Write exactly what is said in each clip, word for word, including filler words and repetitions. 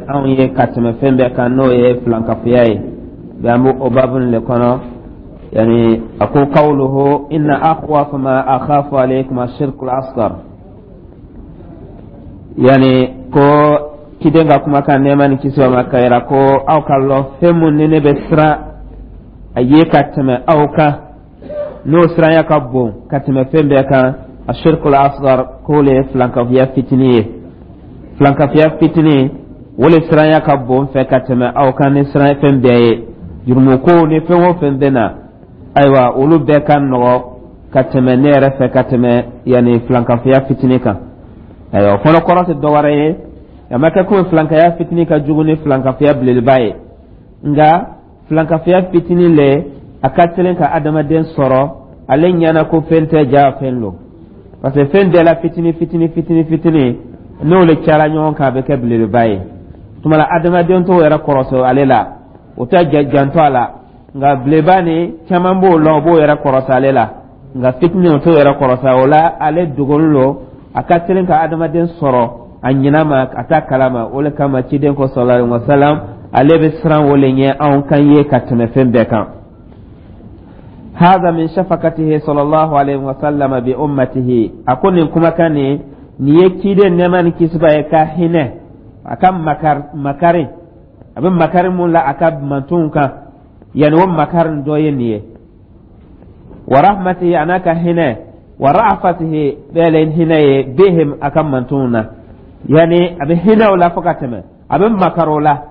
Anw ye ka tɛmɛ fɛn bɛɛ kan, n'o ye filankafoya ye bɛ, an b'o babu le kɔnɔ. Yani a ko qawluhu inna akhwafa ma akhafu alaykum ashirku al-asghar, yani ko ciden ka kumakan, nɛɛma ni kisi ma, ka yira ko aw ka lɔ fɛn mun ni ne bɛ siran a ye ka tɛmɛ aw kan, n'o siranya ka bon ka tɛmɛ fɛn bɛɛ kan, ashirku al-asghar, k'o le ye filankafoya fitinin ye. Filankafoya fitinin, o le siranya ka bon fɛ ka tɛmɛ aw kan ni siran fɛn bɛɛ ye. Jurumukow ni fɛn o fɛn bɛ na, ayiwa, olu bɛɛ ka nɔgɔ ka tɛmɛ ne yɛrɛ fɛ ka tɛmɛ yanni filankafoya fitinin kan. Ayiwa, o fana kɔrɔ tɛ dɔwɛrɛ ye, a ma kɛ komi filankaya fitinin ka jugu ni filankafoya belebeleba ye, nka filankafoya fitinin le a ka teli ka adamaden sɔrɔ, ale ɲɛna ko fɛn tɛ, ja fɛn lo, parce que fɛn bɛɛ la fitinin fitinin fitinin fitinin, n'o le cayara ɲɔgɔn kan, a bɛ kɛ belebeleba ye. Tuma la adamaden t'o yɛrɛ kɔrɔsɔ ale la, o tɛ janto a la, nka beleba ni caman b'o lɔn, o b'o yɛrɛ kɔrɔsɔ ale la, nka fitinin o t'o yɛrɛ kɔrɔsɔ o la. Ale dogolen lo, a ka teli ka adamaden sɔrɔ a ɲinɛ ma, a t'a kalama. O le kama ciden ko sallallahu alaihi wa sallam, ale bɛ siran o le ɲɛ anw kan ye ka tɛmɛ fɛn bɛɛ kan. هذا من شفقته صلى الله عليه وسلم بأمته. A ko nin kumakan nin nin ye ciden, nɛɛma ni kisi b'a ye, ka hinɛ, a ka makar makari, a bɛ makari mun la a ka mantonw kan, yanni o makari dɔ ye nin ye. Wa rahmatihi, a n'a ka hinɛ, wa ra'afatihi, bɛɛ le hinɛ ye, bihim, a ka mantonw na, yanni a bɛ hinɛ o la fo ka tɛmɛ, a bɛ makari o la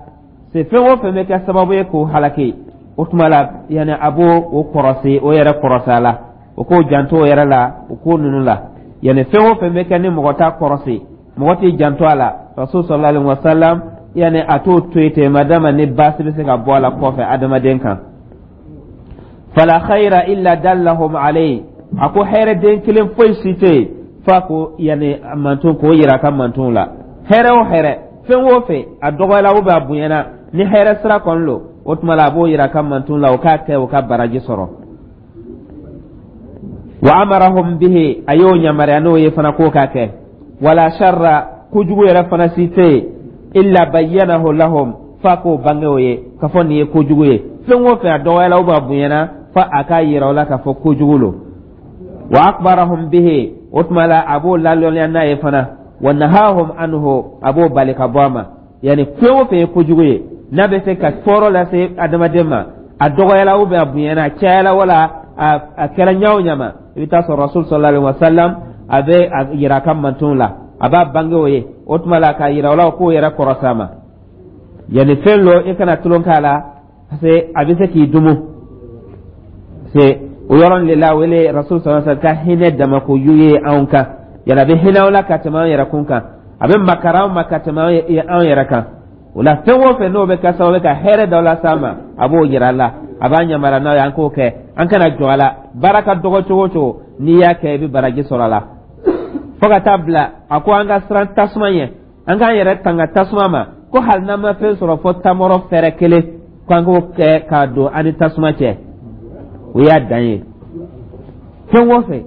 se fɛn o fɛn bɛ kɛ sababu ye k'o halaki. O tuma la, yanni a b'o o kɔrɔsi, o yɛrɛ kɔrɔsi a la, o k'o janto o yɛrɛ la, o ko ninnu la, yanni fɛn o fɛn bɛ kɛ ni mɔgɔ t'a kɔrɔsi, mɔgɔ t'i janto a la, rasul sallallahu alaihi wa sallam, yanni a t'o to yen ten, madama ni baasi bɛ se ka bɔ a la kɔfɛ adamaden kan. Fala khayra illa dallahum alayhi. A ko hɛrɛ den kelen foyi si tɛ yen f'a ko yanni manton k'o yira a ka mantonw la. Hɛrɛ o hɛrɛ, fɛn o fɛn, a dɔgɔyala ou bien a bonyana, ni hɛrɛ sira kɔni lo, o tuma la a b'o yira a ka mantonw la, o k'a kɛ, o ka baraji sɔrɔ. Wa amarahum bihi, a y'o yamaruya n'o ye fana k'o k'a kɛ. Wala sharra, kojugu yɛrɛ fana si tɛ yen, illa bayyanahu lahum, f'a k'o bange o ye k'a fɔ nin ye kojugu ye. Fɛn o fɛn, a dɔgɔyala ou bien a bonyana, fa a k'a yira o la k'a fɔ kojugu lo. Wa akbarahum bihi, o tuma la a b'o lalɔnniya n'a ye fana. Wa nahahum anhu, a b'o bali ka bɔ a ma. Yani fɛn o fɛn ye kojugu ye, n'a bɛ se ka tɔɔrɔ lase adamaden ma, a dɔgɔyala ou bien a bonyana, a cayala wala a kɛra ɲa o ɲa ma, i bɛ taa sɔrɔ rasul sallallahu alaihi wa sallam a bɛ a yira a ka mantonw la, a b'a bange o ye. O tuma la k'a yira o la k'o yɛrɛ kɔrɔsa ma, yanni fɛn lo i kana tulon k'a la, parce que a bɛ se k'i dumu. Parce que o yɔrɔ de la wele rasul sallallahu alaihi wa sallam ka hinɛ damako yu ye anw kan, yala a bɛ hinɛ o la ka tɛmɛ anw yɛrɛ kun kan, a bɛ makara anw ma ka tɛmɛ anw yɛrɛ kan. O la fɛn o fɛn n'o bɛ kɛ sababu ye ka hɛrɛ dɔ las'an ma, a b'o yira a la, a b'an yamaruya n'a ye an k'o kɛ, an kana jɔ a la. Baara ka dɔgɔ cogo o cogo, n'i y'a kɛ, i bɛ baraji sɔrɔ a la. Fo ka taa bila a ko an ka siran tasuma ɲɛ, an k'an yɛrɛ tanga tasuma ma, ko hali n'an ma fɛn sɔrɔ fɔ tamɔrɔ fɛrɛ kelen, ko an k'o kɛ k'a don an ni tasuma cɛ, o y'a dan ye. Fɛn o fɛn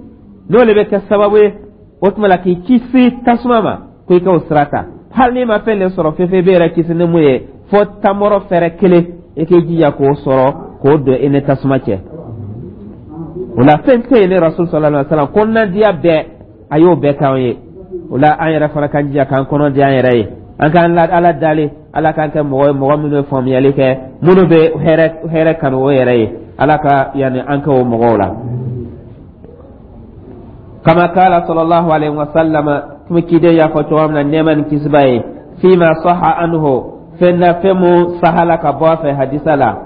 n'o de bɛ kɛ sababu ye, o tuma la k'i kisi tasuma ma, ko i k'o sira ta, hali n'i ma fɛn de sɔrɔ fɛn fɛn i bɛ yɛrɛ kisi ni mun ye fɔ tamɔrɔ fɛrɛ kelen, i k'i jija k'o sɔrɔ k'o don i ni tasuma cɛ. O la fɛn tɛ yen ne rasul sallallahu alaihi wa sallam kɔnɔnadiya bɛɛ, a y'o bɛɛ k'anw ye. O la an yɛrɛ fana k'an jija k'an kɔnɔ di an yɛrɛ ye, an k'an Ala dali, Ala k'an kɛ mɔgɔ ye, mɔgɔ minnu bɛ faamuyali kɛ, minnu bɛ hɛrɛ hɛrɛ kanu o yɛrɛ ye. Ala ka yanni an kɛ o mɔgɔw la. Kama kala sallallahu alaihi wa sallam, kuma kiden y'a fɔ cogo min na, nɛɛma ni kisi b'a ye, fima saha anhu, fɛn na fɛn mun sahala ka bɔ a fɛ hadisa la,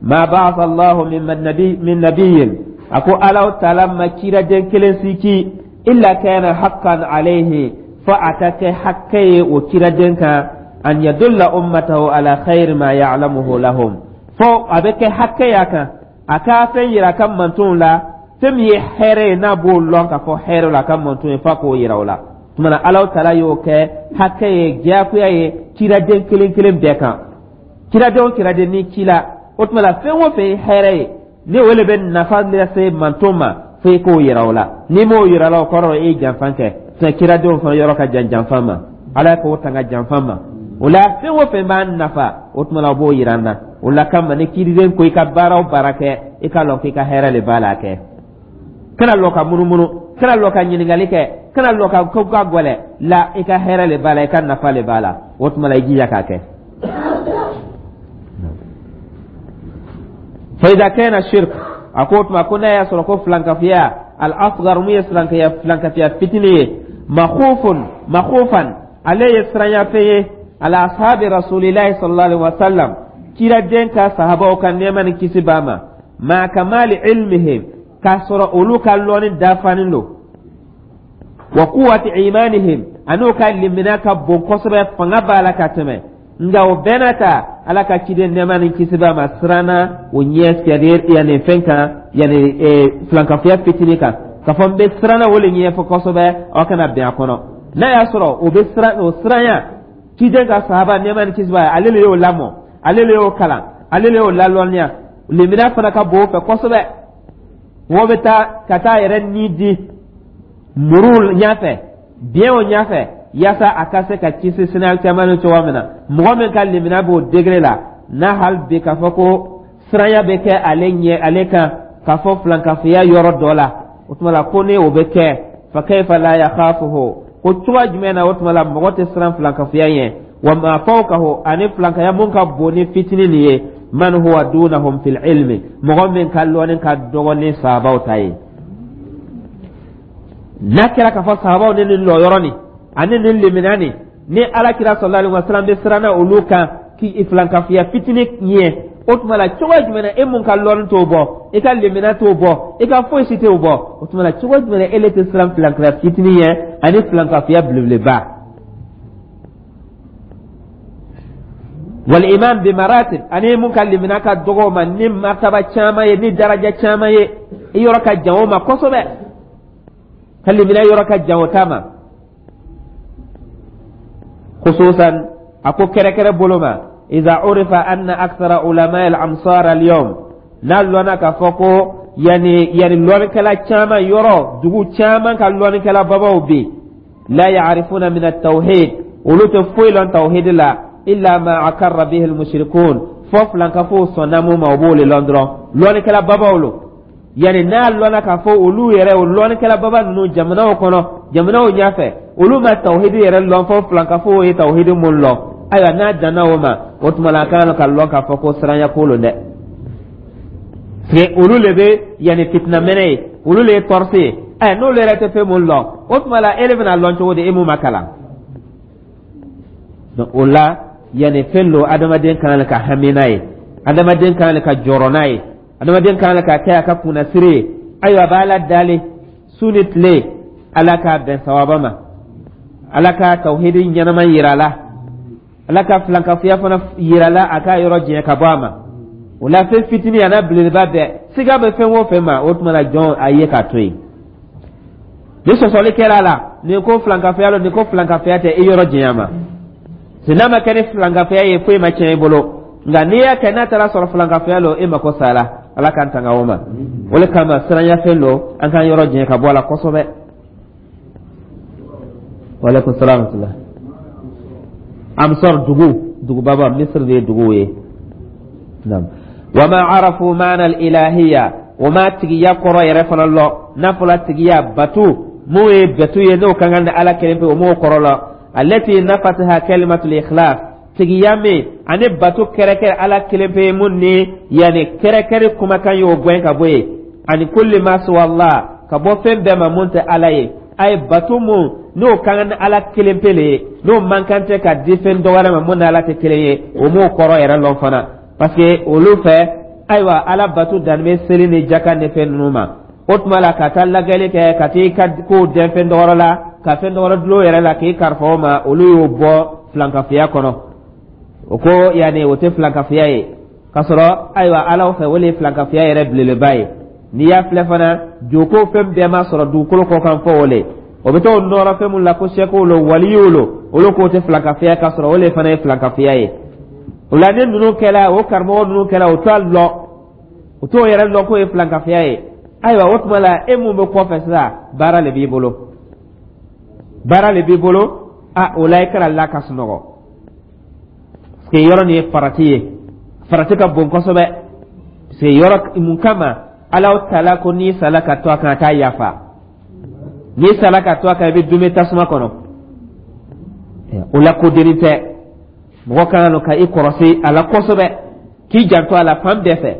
ma ba'atha Allahu min nabi min nabiyyin, a ko Ala taala ma ciraden kelen si ci, illa kana haqqan alayhi, fa a ka kɛ hakɛ ye o ciraden kan, an yadulla ummatahu ala khayri ma ya'lamuhu lahum, fo a bɛ kɛ hakɛ y'a kan a ka fɛn yira a ka mantonw la, fɛn min ye hɛrɛ ye, n'a b'o lɔn k'a fɔ hɛrɛ la a ka manton ye, f'a k'o yira o la. Tuma na Ala taala y'o kɛ hakɛ ye, diyagoya ye ciraden kelen kelen bɛɛ kan. Ciraden o ciraden ni ci la, o tuma la fɛn o fɛn ye hɛrɛ ye, ni o de bɛ nafa lase manton ma, fo i k'o yira o la. N'i m'o yira la, o kɔrɔ e ye janfa kɛ. Sinon ciradenw fana yɔrɔ ka jan janfa ma, Ala k'o tanga janfa ma. O la, fɛn o fɛn b'an nafa, o tuma la o b'o yira an na. O la kama, ni kiriden ko i ka baara o baara kɛ, i ka lɔn k'i ka hɛrɛ le b'a la. Kɛ kana lɔ ka munumunu, kana lɔ ka ɲininkali kɛ, kana lɔ ka ko ka gwɛlɛ la. I ka hɛrɛ le b'a la, i ka nafa le b'a la. O tuma la, i jija k'a kɛ. Fa idha kana shirk, a ko o tuma ko n'a y'a sɔrɔ ko filankafiya al asgar, mun ye filankafiya filankafiya fitinin ye, makhufun makhufan, ale ye siranyafɛn ye ala ashabi rasulillahi sallallahu alaihi wasallam, kiraden ka sahabaw ka nɛɛma ni kisi b'a ma, ma kamali ilmihim, k'a sɔrɔ olu ka lɔnni dafanen don, wa quwwati imanihim, an'u ka limina ka bon kosɛbɛ, fanga b'a la ka tɛmɛ. Nka o bɛɛ n'a ta, Ala ka ciden nɛɛma ni kisi b'a ma siranna o ɲɛ, c'est à dire yanni fɛn kan, yanni filankafoya fitinin kan, k'a fɔ n bɛ siranna o le ɲɛfɔ kosɛbɛ, aw kana bɛn a kɔnɔ. N'a y'a sɔrɔ o bɛ siran, o siranya ciden ka sahaba nɛɛma ni kisi b'a ye, ale le y'o lamɔ, ale le y'o kalan, ale le y'o lalɔnniya, limina fana ka bon o fɛ kosɛbɛ. Mɔgɔ bɛ taa ka taa yɛrɛ ni di muru ɲɛfɛ, biɲɛw ɲɛfɛ, yaasa a ka se ka kisi sini caman ni cogoya min na. Mɔgɔ min ka limina b'o degré la n'a, hali bi k'a fɔ ko siranya bɛ kɛ ale ɲɛ ale kan k'a fɔ filankafoya yɔrɔ dɔ la, o tuma la ko ni o bɛ kɛ, fa kayfa la yakhafuhu, ko cogoya jumɛn na o tuma la mɔgɔ tɛ siran filankafoya ɲɛ? Wa ma fawqahu, ani filankaya mun ka bon ni fitinin nin ye, man huwa dunahum fil ilmi, mɔgɔ min ka lɔnni ka dɔgɔ ni sahabaw ta ye. N'a kɛra k'a fɔ sahabaw ni nin lɔyɔrɔ nin ani nin limina nin ni Ala kira sallallahu alaihi wasallam bɛ siranna olu kan k'i filankafoya fitinin ɲɛ, o tuma la cogo jumɛn na e mun ka lɔnni t'o bɔ, i ka limina t'o bɔ, i ka foyi si t'o bɔ, o tuma la cogo jumɛn na e le tɛ siran filankafoya fitinin ɲɛ ani filankafoya belebeleba? Wal iman bi maratib, ani mun ka limina ka dɔgɔ ma ni martaba caman ye, ni daraja caman ye, i yɔrɔ ka jan o ma kosɛbɛ, ka limina yɔrɔ ka jan o ta ma. Khususan, a ko kɛrɛkɛrɛ bolo ma, iza urifa anna akthara ulama al amsar al yawm, n'a lɔnna k'a fɔ ko yani yani lɔnnikɛla caman, yɔrɔ dugu caman ka lɔnnikɛla babaw bɛ, la ya'rifuna min at-tawhid, olu tɛ foyi lɔn tawhid la, illa ma akarra bihi al-mushrikun, fo filankafow sɔnna mun ma, o b'o le lɔn dɔrɔn. Lɔnnikɛla babaw lo, yani n'a lɔnna k'a fɔ olu yɛrɛ, o lɔnnikɛla baba ninnu jamanaw kɔnɔ, jamanaw ɲɛfɛ, olu ma tawhidi yɛrɛ lɔn fo filankafow ye tawhidi mun lɔn. Ayiwa, n'a danna o ma, o tuma la a kan ka lɔn k'a fɔ ko siranya ko lo dɛ, parce que olu le bɛ yanni fitinamɛnɛ ye, olu le ye tɔrɔsi ye. Ɛ, n'olu yɛrɛ tɛ fɛn mun lɔn, o tuma la e de bɛna lɔn cogo di, e mun ma kalan? Donc o la, yanni fɛn lo adamaden kan ka hami n'a ye, adamaden kan ka jɔrɔ n'a ye, adamaden kan ka kɛ a ka kunnasiri ye. Ayiwa, a b'a la dali su ni tile, Ala k'a bɛn sawaba ma, Ala ka tawhidi ɲɛnama yira la, Ala ka filankafoya fana yira la, a k'a yɔrɔ jɛn ka bɔ a ma. O la, fɛn fitinin a n'a belebeleba bɛɛ, siga bɛ fɛn o fɛn ma, o tuma la jɔn a ye k'a to yen. Ni sɔsɔli kɛra a la, nin ko filankafoya lo, nin ko filankafoya tɛ, i yɔrɔ jɛnya ma. N'a ma kɛ ni filankafoya ye, foyi ma tiɲɛ i bolo. Nka n'i y'a kɛ, n'a taara sɔrɔ filankafoya lo, e mako sara. Ala k'an tanga o ma. O le kama siranyafɛn lo, an k'an yɔrɔ jɛn ka bɔ a la kosɛbɛ. Waaleykum salaam wa rahmatulah. Amsar, dugu dugubaba, Misiri de ye dugu ye. Naam. Wa ma arafu maana al-ilahiyya, o ma tigiya kɔrɔ yɛrɛ fana lɔ. N'a fɔla tigiya, batu mun ye batu ye, n'o ka kan ni Ala kelen pe, o m'o kɔrɔ lɔ. Allati nafataha kalimatul ikhlas, tigiya min ani batu kɛrɛkɛrɛ Ala kelen pe mun ni yanni kɛrɛkɛrɛ kumakan y'o gɛn ka bɔ yen, ani kulli ma siwa Allah, ka bɔ fɛn bɛɛ ma mun tɛ Ala ye. A ye batu mun n'o ka kan ni Ala kelen pe le ye, n'o man kan tɛ ka di fɛn dɔ wɛrɛ ma mun ni Ala tɛ kelen ye, o m'o kɔrɔ yɛrɛ lɔn fana. Parce que olu fɛ, ayiwa, Ala batu danni bɛ seli ni jaka ni fɛn ninnu ma. O tuma la, ka taa lajɛli kɛ, ka t'i ka kow dɛn fɛn dɔ wɛrɛ la, ka fɛn dɔ wɛrɛ dulon yɛrɛ la k'i kalifa o ma, olu y'o bɔ filankafoya kɔnɔ. O ko yanni o tɛ filankafoya ye, k'a sɔrɔ ayiwa, Ala fɛ, o de ye filankafoya yɛrɛ belebeleba ye. N'i y'a filɛ fana, joko fɛn bɛɛ ma sɔrɔ dugukolo kɔ kan fɔ o le, o bɛ t'o nɔrɔ fɛn mun la ko sɛkow lo, waliyiw lo, olu k'o tɛ filankafoya, k'a sɔrɔ o le fana ye filankafoya ye. O la, ni ninnu kɛla, o karamɔgɔ ninnu kɛla, o t'a lɔn, o t'o yɛrɛ lɔn k'o ye filankafoya ye. Ayiwa, o tuma la, e mun bɛ kɔfɛ sisan, baara le b'i bolo, baara le b'i bolo. A o la, i kana la ka sunɔgɔ. Que yɔrɔ nin ye farati ye, farati ka bon kosɛbɛ, parce que yɔrɔ mun kama Alahu Taala ko n'i sala ka to a kan, a t'a yafa. N'i sala ka to a kan, i bɛ dume tasuma kɔnɔ. O la ko dennin tɛ. Mɔgɔ ka kan ka i kɔrɔsi a la kosɛbɛ, k'i janto a la fan bɛɛ fɛ,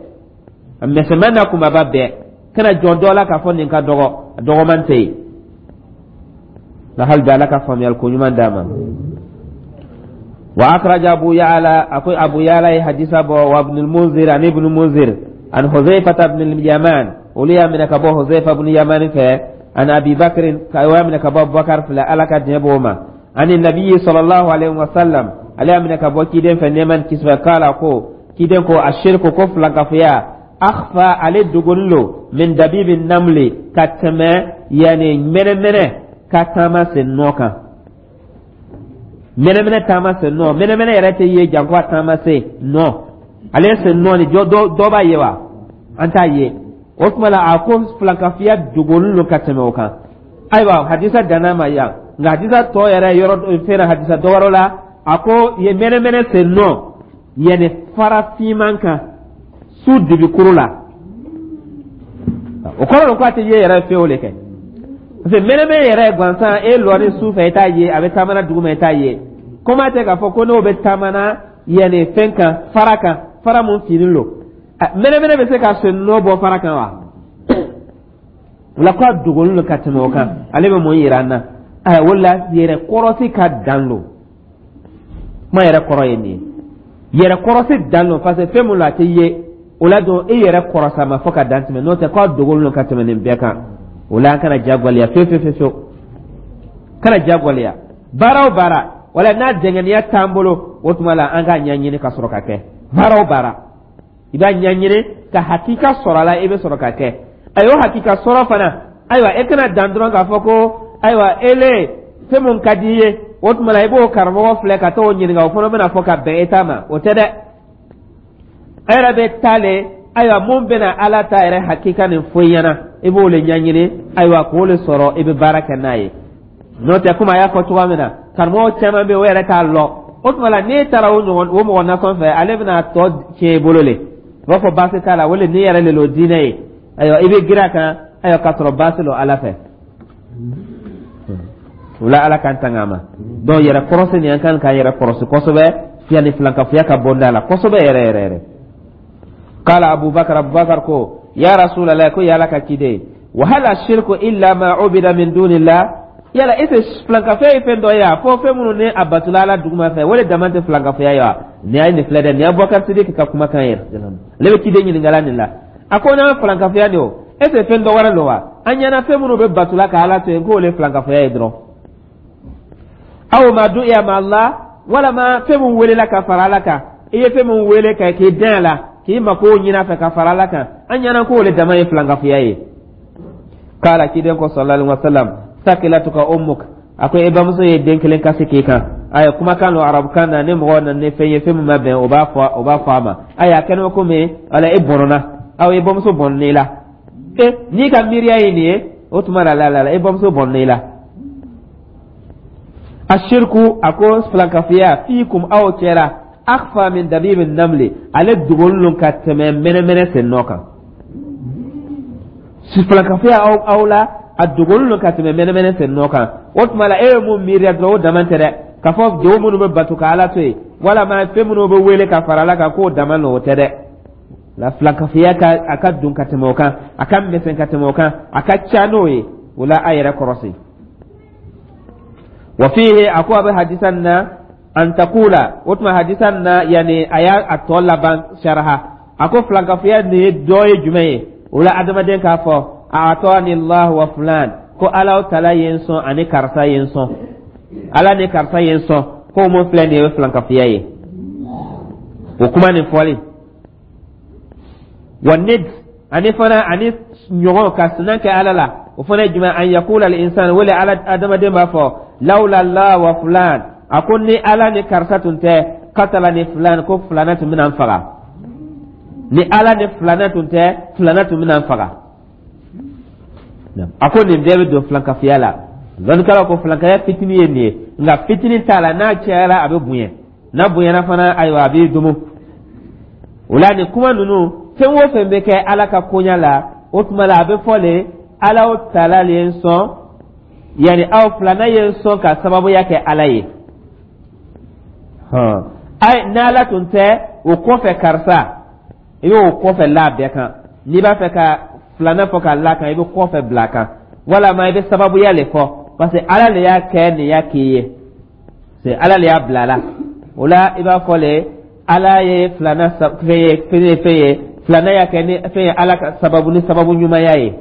a misɛnman n'a kunbaba bɛɛ. Kana jɔn dɔ la k'a fɔ nin ka dɔgɔ, a dɔgɔman tɛ yen. Nka hali bi, Ala ka faamuyali ko ɲuman d'a ma. Wa akhraja Abu Ya'la, ako Abu Ya'la ye hadisa bɔ, wa Ibn al-Munzir, ani Ibn Munzir, an Huzaifa ibn al-Yaman, olu y'a minɛ ka bɔ Huzaifa ibn Yaman fɛ, an Abi Bakr, ka y'a minɛ ka bɔ Abubakar filɛ, Ala ka diɲɛ b'o ma, ani Nabi sallallahu alaihi wa sallam, ale y'a minɛ ka bɔ ciden fɛ, nɛɛma ni kisi bɛ. Kala ko ciden ko ashirku, ko filankafoya, akhfa, ale dogolen lo, min dabibi namli, ka tɛmɛ yani mɛnɛmɛnɛ ka taama sen nɔ kan. Mɛnɛmɛnɛ taama sen nɔ, mɛnɛmɛnɛ yɛrɛ tɛ ye janko a taama sen nɔ. Ale sen nɔ ni dɔ b'a ye wa? An t'a ye. O tuma la, a ko filankafiya dogolen lo ka tɛmɛ o kan. Ayiwa, hadisa danna ma yan, nka hadisa tɔ yɛrɛ yɔrɔ fɛn na, hadisa dɔ wɛrɛ la, a ko ye mɛnɛmɛnɛ sen nɔ yanni fara finman kan su dibikuru la. O kɔrɔ don ko a tɛ ye yɛrɛ fiyewu le kɛ, parce que mɛnɛmɛnɛ yɛrɛ gansan, e lɔri su fɛ, i t'a ye. A bɛ taamana duguma, i t'a ye. Komi a tɛ k'a fɔ ko n'o bɛ taamana yanni fɛn kan, fara kan, fara mun finen lo, mɛnɛmɛnɛ bɛ se ka sen nɔ bɔ fara kan wa? O la ko a dogolen don ka tɛmɛ o kan. Ale bɛ mun yira an na? Ayiwa, o la yɛrɛ kɔrɔsi ka dan lo. Kuma yɛrɛ kɔrɔ ye nin ye: yɛrɛ kɔrɔsi dan lo, parce que fɛn mun lo, a tɛ ye. O la donc e yɛrɛ kɔrɔsa ma fɔ ka dan tɛmɛ, n'o tɛ k'a dogolen don ka tɛmɛ nin bɛɛ kan. O la an kana jagoya fewu fewu fewu, kana jagoya. Baara o baara, wala n'a dɛngɛniya t'an bolo, o tuma la an k'a ɲɛɲini ka sɔrɔ ka kɛ. Baara o baara, i b'a ɲɛɲini ka hakika sɔrɔ a la, i bɛ sɔrɔ ka kɛ. A y'o hakika sɔrɔ fana. Ayiwa, e kana dan dɔrɔn k'a fɔ ko ayiwa, ele fɛn mun ka di i ye, o tuma la i b'o karamɔgɔ filɛ ka t'o ɲininka, o fana bɛna fɔ ka bɛn e ta ma. O tɛ dɛ. E yɛrɛ bɛ taa le, ayiwa, mun bɛna Ala ta yɛrɛ hakika nin fɔ i ɲɛna, i b'o le ɲɛɲini, ayiwa, k'o le sɔrɔ, i bɛ baara kɛ n'a ye. N'o tɛ, komi a y'a fɔ cogoya min na, karamɔgɔ caman bɛ yen, o yɛrɛ t'a lɔ. O tuma la, n'e taara o ɲɔgɔn o mɔgɔ nasɔn fɛ, ale bɛna tɔ tiɲɛ i bolo le. U b'a fɔ baasi t'a la, o le n'i yɛrɛ le lo diinɛ ye. Ayiwa, i bɛ girin a kan, ayiwa, k'a sɔrɔ baasi lo Ala fɛ. O la, Ala k'an tanga a ma. Donc yɛrɛ kɔrɔsi nin, an kan k'an yɛrɛ kɔrɔsi kosɛbɛ, yanni filankafoya ka bɔ da la kosɛbɛ yɛrɛ yɛrɛ yɛrɛ. Qala Abubakar, Abubakar ko: ya Rasulallah, ko ya Ala ka ciden, wa hal ashirku illa ma ubida min dunillah? Yala ese filankafoya ye fɛn dɔ ye wa, fo fɛn minnu ni a batula Ala duguma fɛ, o de dama tɛ filankafoya ye wa? Nin y'a nin filɛ dɛ, nin ye Abubakar Sidiki ka kumakan ye. Ale bɛ ciden ɲininkala nin la. A ko n'an filankafoya nin o, ese fɛn dɔ wɛrɛ don wa? An ɲɛna fɛn minnu bɛ batula ka Ala to yen, k'o le filankafoya ye dɔrɔn. Aw ma du'iya ma Allah, walama fɛn mun welela ka fara Ala kan, i ye fɛn mun wele ka k'i den a la, k'i mako ɲini a fɛ ka fara Ala kan, an ɲɛna k'o le dama ye filankafoya ye. Kala, ciden ko sallallahu alaihi wasallam: sakilatuka ummuk. A ko e bamuso ye den kelen kasi k'i kan. Ayi, kumakan don arabukan na. Ni mɔgɔ nana ni fɛn ye, fɛn min ma bɛn, o b'a fɔ o b'a fɔ a ma. Ayi, a kɛnɛ komi wala e bɔnna, aw e bamuso bɔnna i la. E n'i ka miiriya ye nin ye, o tuma la la la e bamuso bɔnna i la. Ashirku, a ko filankafiya, fiikum, aw cɛra, akhfa min dabibi namli, ale dogolen don ka tɛmɛ mɛnɛmɛnɛ sen nɔ kan. Filankafiya aw aw la, a dogolen don ka tɛmɛ mɛnɛmɛnɛ sen nɔ kan. O tuma la, e ye mun miiriya dɔrɔn, o dama tɛ dɛ, k'a fɔ jogo minnu bɛ bato ka Ala to yen, walama fɛn minnu bɛ wele ka fara Ala kan, k'o dama don, o tɛ dɛ. La filankafiya ka a ka don ka tɛmɛ o kan, a ka misɛn ka tɛmɛ o kan, a ka ca n'o ye. O la, a yɛrɛ kɔrɔsi. Wa fihi, a ko a bɛ hadisa na, an taqula. O tuma hadisa na, yani a y'a a tɔ laban saraha. A ko filankafiya nin ye dɔ ye jumɛn ye? O la, adamaden k'a fɔ: a'tani Allah wa fulan, ko Ala Taala ye n sɔn ani karisa ye n sɔn, Ala ni karisa ye n sɔn, ko mun filɛ nin ye filankafiya ye. O kuma nin fɔli wa nid, ani fana ani ɲɔgɔn ka sinan kɛ Ala la, o fana ye jumɛn? An yakula al insan, wele ala adamaden b'a fɔ: lawla Allah wa fulan, a ko ni Ala ni karisa tun tɛ, katala ni fulan, ko fulana tun bɛna n faga. Ni Ala ni fulana tun tɛ, fulana tun bɛna n faga. A ko nin bɛɛ bɛ don filankafiya la. Lɔnnikɛlaw ko filankaya fitinin ye nin ye, nka fitinin t'a la, n'a cayara a bɛ bonya. N'a bonyana fana, ayiwa, a b'i dumu. O la, nin kuma ninnu, fɛn o fɛn bɛ kɛ Ala ka koɲa la, o tuma la a bɛ fɔ le: Ala taala le ye n sɔn, yanni aw filanan ye n sɔn ka sababuya kɛ Ala ye. Ayi, n'Ala tun tɛ, o kɔfɛ karisa, i b'o kɔfɛ la bɛɛ kan. N'i b'a fɛ ka filanan fɔ k'a la kan, i bɛ kɔfɛ bila a kan, walama i bɛ sababuya le fɔ, parce que Ala le y'a kɛ nin y'a k'i ye, c'est Ala le y'a bila la. O la, i b'a fɔ le: Ala ye filanan fɛn ye, fɛn ye, fɛn ye, filanan y'a kɛ ni fɛn ye, Ala ka sababu ni sababu ɲumanya ye.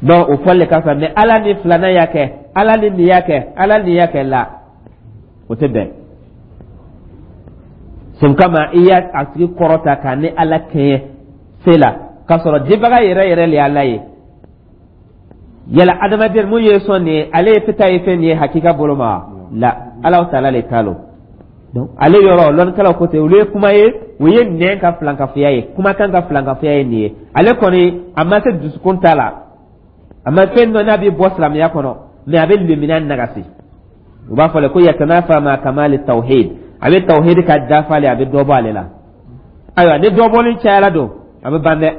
Donc o fɔli le ka fisa. Mais Ala ni filanan y'a kɛ, Ala ni nin y'a kɛ, Ala ni y'a kɛ la, o tɛ bɛn. Sen kama i y'a a tigi kɔrɔta k'a ni Ala kɛɲɛ se la, k'a sɔrɔ dibaga yɛrɛ yɛrɛ le ye Ala ye. Yala adamaden mun ye sɔn nin ye, ale ye fita ye fɛn nin ye hakika bolo ma la, Ala taala le ta lo. Donc ale yɔrɔ, lɔnnikɛlaw ko ten, olu ye kuma ye, o ye nɛn ka filankafoya ye, kumakan ka filankafoya ye nin ye. Ale kɔni a ma se dusukun ta la, a ma fɛn dɔ n'a bɛ bɔ silamɛya kɔnɔ, mais a bɛ lemina nagasi. U b'a fɔ le ko yatanafa ma kamali tawhid, a bɛ tawhid ka dafa le, a bɛ dɔ bɔ ale la. Ayiwa, ni dɔ bɔli cayara don, a bɛ ban dɛ,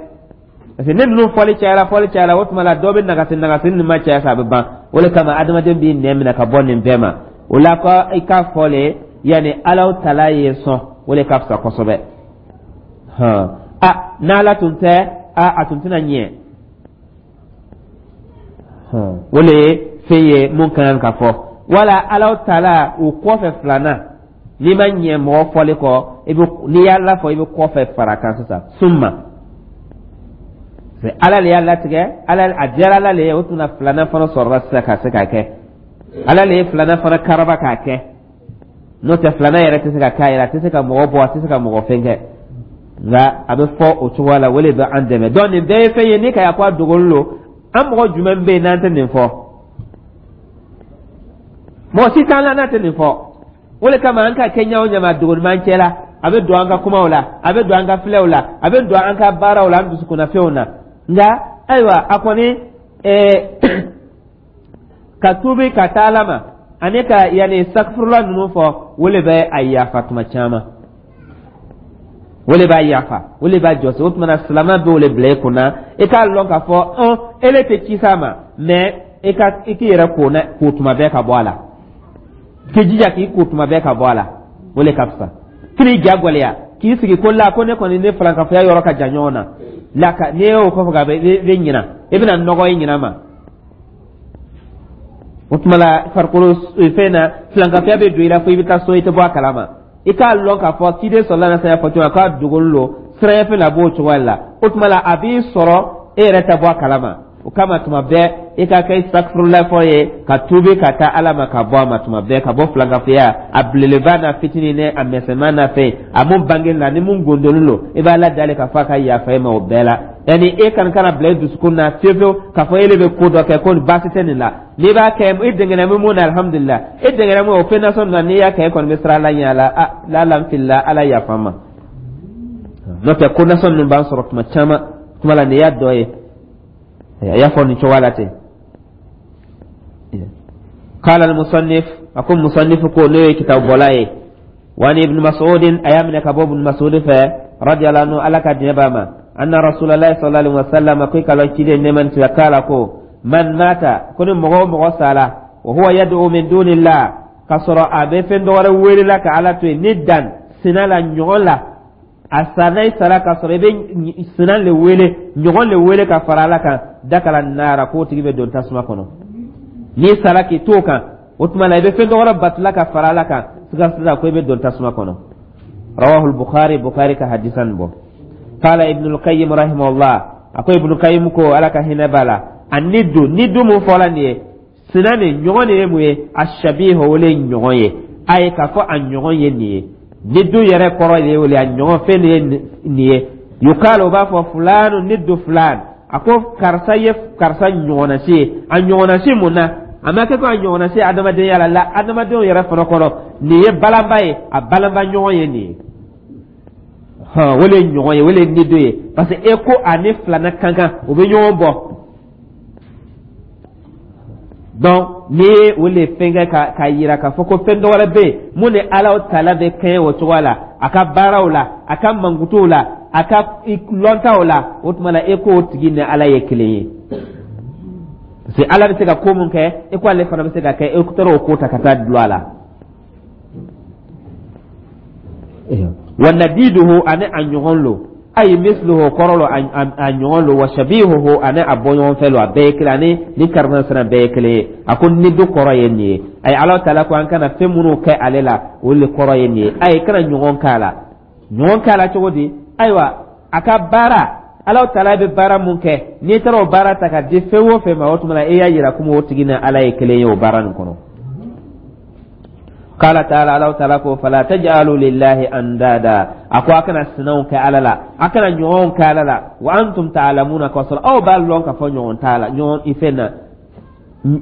parce que ni ninnu fɔli cayara, fɔli cayara, o tuma la dɔ bɛ nagasi nagasi, ni ma caya sa, a bɛ ban. O de kama adamaden b'i nɛn minɛ ka bɔ nin bɛɛ ma. O la ko i k'a fɔ le, yanni Alaw tala ye sɔn, o de ka fisa kosɛbɛ. Hɔn, a n'Ala tun tɛ, a a tun tɛna ɲɛ. O de ye fɛn ye mun ka kan ka fɔ. Wala Alaw tala o kɔfɛ filanan, n'i ma ɲɛ mɔgɔ fɔli kɔ, i bɛ n'i y'a lafɔ, i bɛ kɔfɛ fara kan sisan. Summa Ala le y'a latigɛ, Ala a diyara Ala le ye. O tun na filanan fana sɔrɔla sisan ka se k'a kɛ. Ala le ye filanan fana karaba k'a kɛ, n'o tɛ filanan yɛrɛ tɛ se ka k'a yɛrɛ, a tɛ se ka mɔgɔ bɔ, a tɛ se ka mɔgɔ fɛn kɛ. Nka a bɛ fɔ o cogoya la, o de bɛ an dɛmɛ. Donc nin bɛɛ ye fɛn ye ni ka ya ko a dogolen don. An mɔgɔ jumɛn bɛ yen n'an tɛ nin fɔ? Mɔgɔ si t'an la n'a tɛ nin fɔ. O de kama an ka kɛ ɲɛ o ɲɛ ma, dogolim'an cɛ la. A bɛ don an ka kumaw la, a bɛ don an ka filɛw la, a bɛ don an ka baaraw la, an dusukunnafɛnw na. Nka ayiwa, a kɔni ɛɛ ka tuubi ka taa Ala ma ani ka yanni sakifurula ninnu fɔ, o de bɛ a yafa tuma caman, o de b'a yafa, o de b'a jɔsi. O tuma na, silamɛ bɛ o de bila i kunna, i k'a lɔn k'a fɔ ɔn ele tɛ ci s'a ma, mais i ka i k'i yɛrɛ ko na ko tuma bɛɛ ka bɔ a la, k'i jija k'i ko tuma bɛɛ ka bɔ a la, o de ka fisa. K'i ja gwɛlɛya k'i sigi ko la ko ne kɔni ne falankafoya yɔrɔ ka jan ɲɔgɔn na la ka n'i y'o kɔfɛ ka i bɛ ɲina, i bɛna nɔgɔ i ɲina ma. O tuma la, farikolo fɛn na, filankafoya bɛ don i la fo i bɛ taa so, i tɛ bɔ a kalama. I k'a lɔn k'a fɔ ciden sɔrɔla na saya fɔ cogo k'a dogolen don siranya fɛn na, a b'o cogoya la. O tuma la, a b'i sɔrɔ, e yɛrɛ tɛ bɔ a kalama. O kama, tuma bɛɛ i ka kɛ sakifurula fɔ ye, ka tuubi ka taa Ala ma, ka bɔ a ma tuma bɛɛ, ka bɔ filankafoya a belebeleba n'a fitinin ni a misɛnman n'a fɛn a mun bange la ni mun gondolen don, i b'a la dali k'a fɔ a ka yafa e ma o bɛɛ la. Yanni e kan kana bila i dusukun na fiyewu fiyewu k'a fɔ e de bɛ ko dɔ kɛ ko baasi tɛ nin la. N'i b'a kɛ, i dɛngɛnɛ bɛ mun na, alihamudulila, i dɛngɛnɛ mun o fɛn nasɔn na, n'i y'a kɛ, e kɔni bɛ siran Ala ɲɛ a la. A la n filila, Ala yafa n ma. N'o tɛ, ko nasɔn ninnu b'an sɔrɔ tuma caman. Tuma la, nin y'a dɔ ye, a y'a fɔ nin cogoya la ten. قال المصنف, أكون مصنف ko n'o ye kitabu bɔla ye, وعن ابن مسعود, a y'a minɛ ka bɔ Ibn Mas'ud fɛ, رضي الله عنه, Ala ka diɲɛ b'a ma, أن رسول الله صلى الله عليه وسلم, ko i ka lɔn ciden nɛɛma ni kisi k'a la, ko من مات, ko ni mɔgɔ o mɔgɔ sala, وهو يدعو من دون الله, k'a sɔrɔ a bɛ fɛn dɔ wɛrɛ wele la ka Ala to yen, ندا sina la, ɲɔgɔn la, a sa n'a sara k'a sɔrɔ i bɛ sina le wele, ɲɔgɔn le wele ka fara Ala kan, دخل النار, k'o tigi bɛ don tasuma kɔnɔ. N'i sara k'i t'o kan, o tuma la i bɛ fɛn dɔ wɛrɛ batula ka fara Ala kan, siga sisan ko i bɛ don tasuma kɔnɔ. رواه البخاري, Bukhari ka hadisa nin bɔ. قال ابن القيم رحمه الله, a ko Ibn Qayyim ko, Ala ka hinɛ b'a la, الند, ند mun fɔla nin ye, sina nin ɲɔgɔn de ye mun ye? الشبيه, o le ye ɲɔgɔn ye. A ye k'a fɔ a ɲɔgɔn ye nin ye, ند yɛrɛ kɔrɔ de ye o le, a ɲɔgɔn fɛn de ye nin ye. يقال, o b'a fɔ فلان ند فلان, a ko karisa ye karisa ɲɔgɔnnasi ye. A ɲɔgɔnnasi mun na? A ma kɛ ko a ɲɔgɔnnasi adamadenya la la, adamadenw yɛrɛ fana kɔnɔ, nin ye balanba ye, a balanba ɲɔgɔn ye nin ye. Hɔn, o de ye ɲɔgɔn ye, o de ye ند ye, parce que e ko a ni filanan kan kan, o bɛ ɲɔgɔn bɔ. Donc N'i ye o le fɛn kɛ ka ka yira k'a fɔ ko fɛn dɔ wɛrɛ bɛ yen mun ni Ala taala bɛ kɛɲɛ o cogoya la, a ka baaraw la, a ka mankutuw la, a ka lɔntaw la, o tuma la e k'o tigi ni Ala ye kelen ye, parce que Ala bɛ se ka ko mun kɛ, e ko ale fana bɛ se ka kɛ, e taara o ko ta ka taa dulon a la. Wa nadiduhu, ani a ɲɔgɔn lo, ayi misluhu kɔrɔ lo, a ɲɔgɔn lo, wa shabihuhu, ani a bɔɲɔgɔn fɛ lo, a bɛɛ ye kelen, ani ni karimasina bɛɛ ye kelen ye. A ko nidu kɔrɔ ye nin ye. Ayi, Ala taala ko an kana fɛn minnu kɛ ale la, o le kɔrɔ ye nin ye. Ayi, kana ɲɔgɔn k'a la. Ɲɔgɔn k'a la cogo di? Ayiwa, a ka baara, Ala taala bɛ baara mun kɛ, n'i taara o baara ta ka di fɛn o fɛn ma, o tuma na e y'a yira komi o tigi ni Ala ye kelen ye o baara nin kɔnɔ. Qala taala, Ala taala ko fala taj'alu lillahi andada, a ko a kana sinaw kɛ Ala la, a kana ɲɔgɔnw kɛ Ala la, wa antum ta'lamuna, k'a sɔrɔ aw b'a lɔn k'a fɔ ɲɔgɔn t'a la, ɲɔgɔn i fɛn na,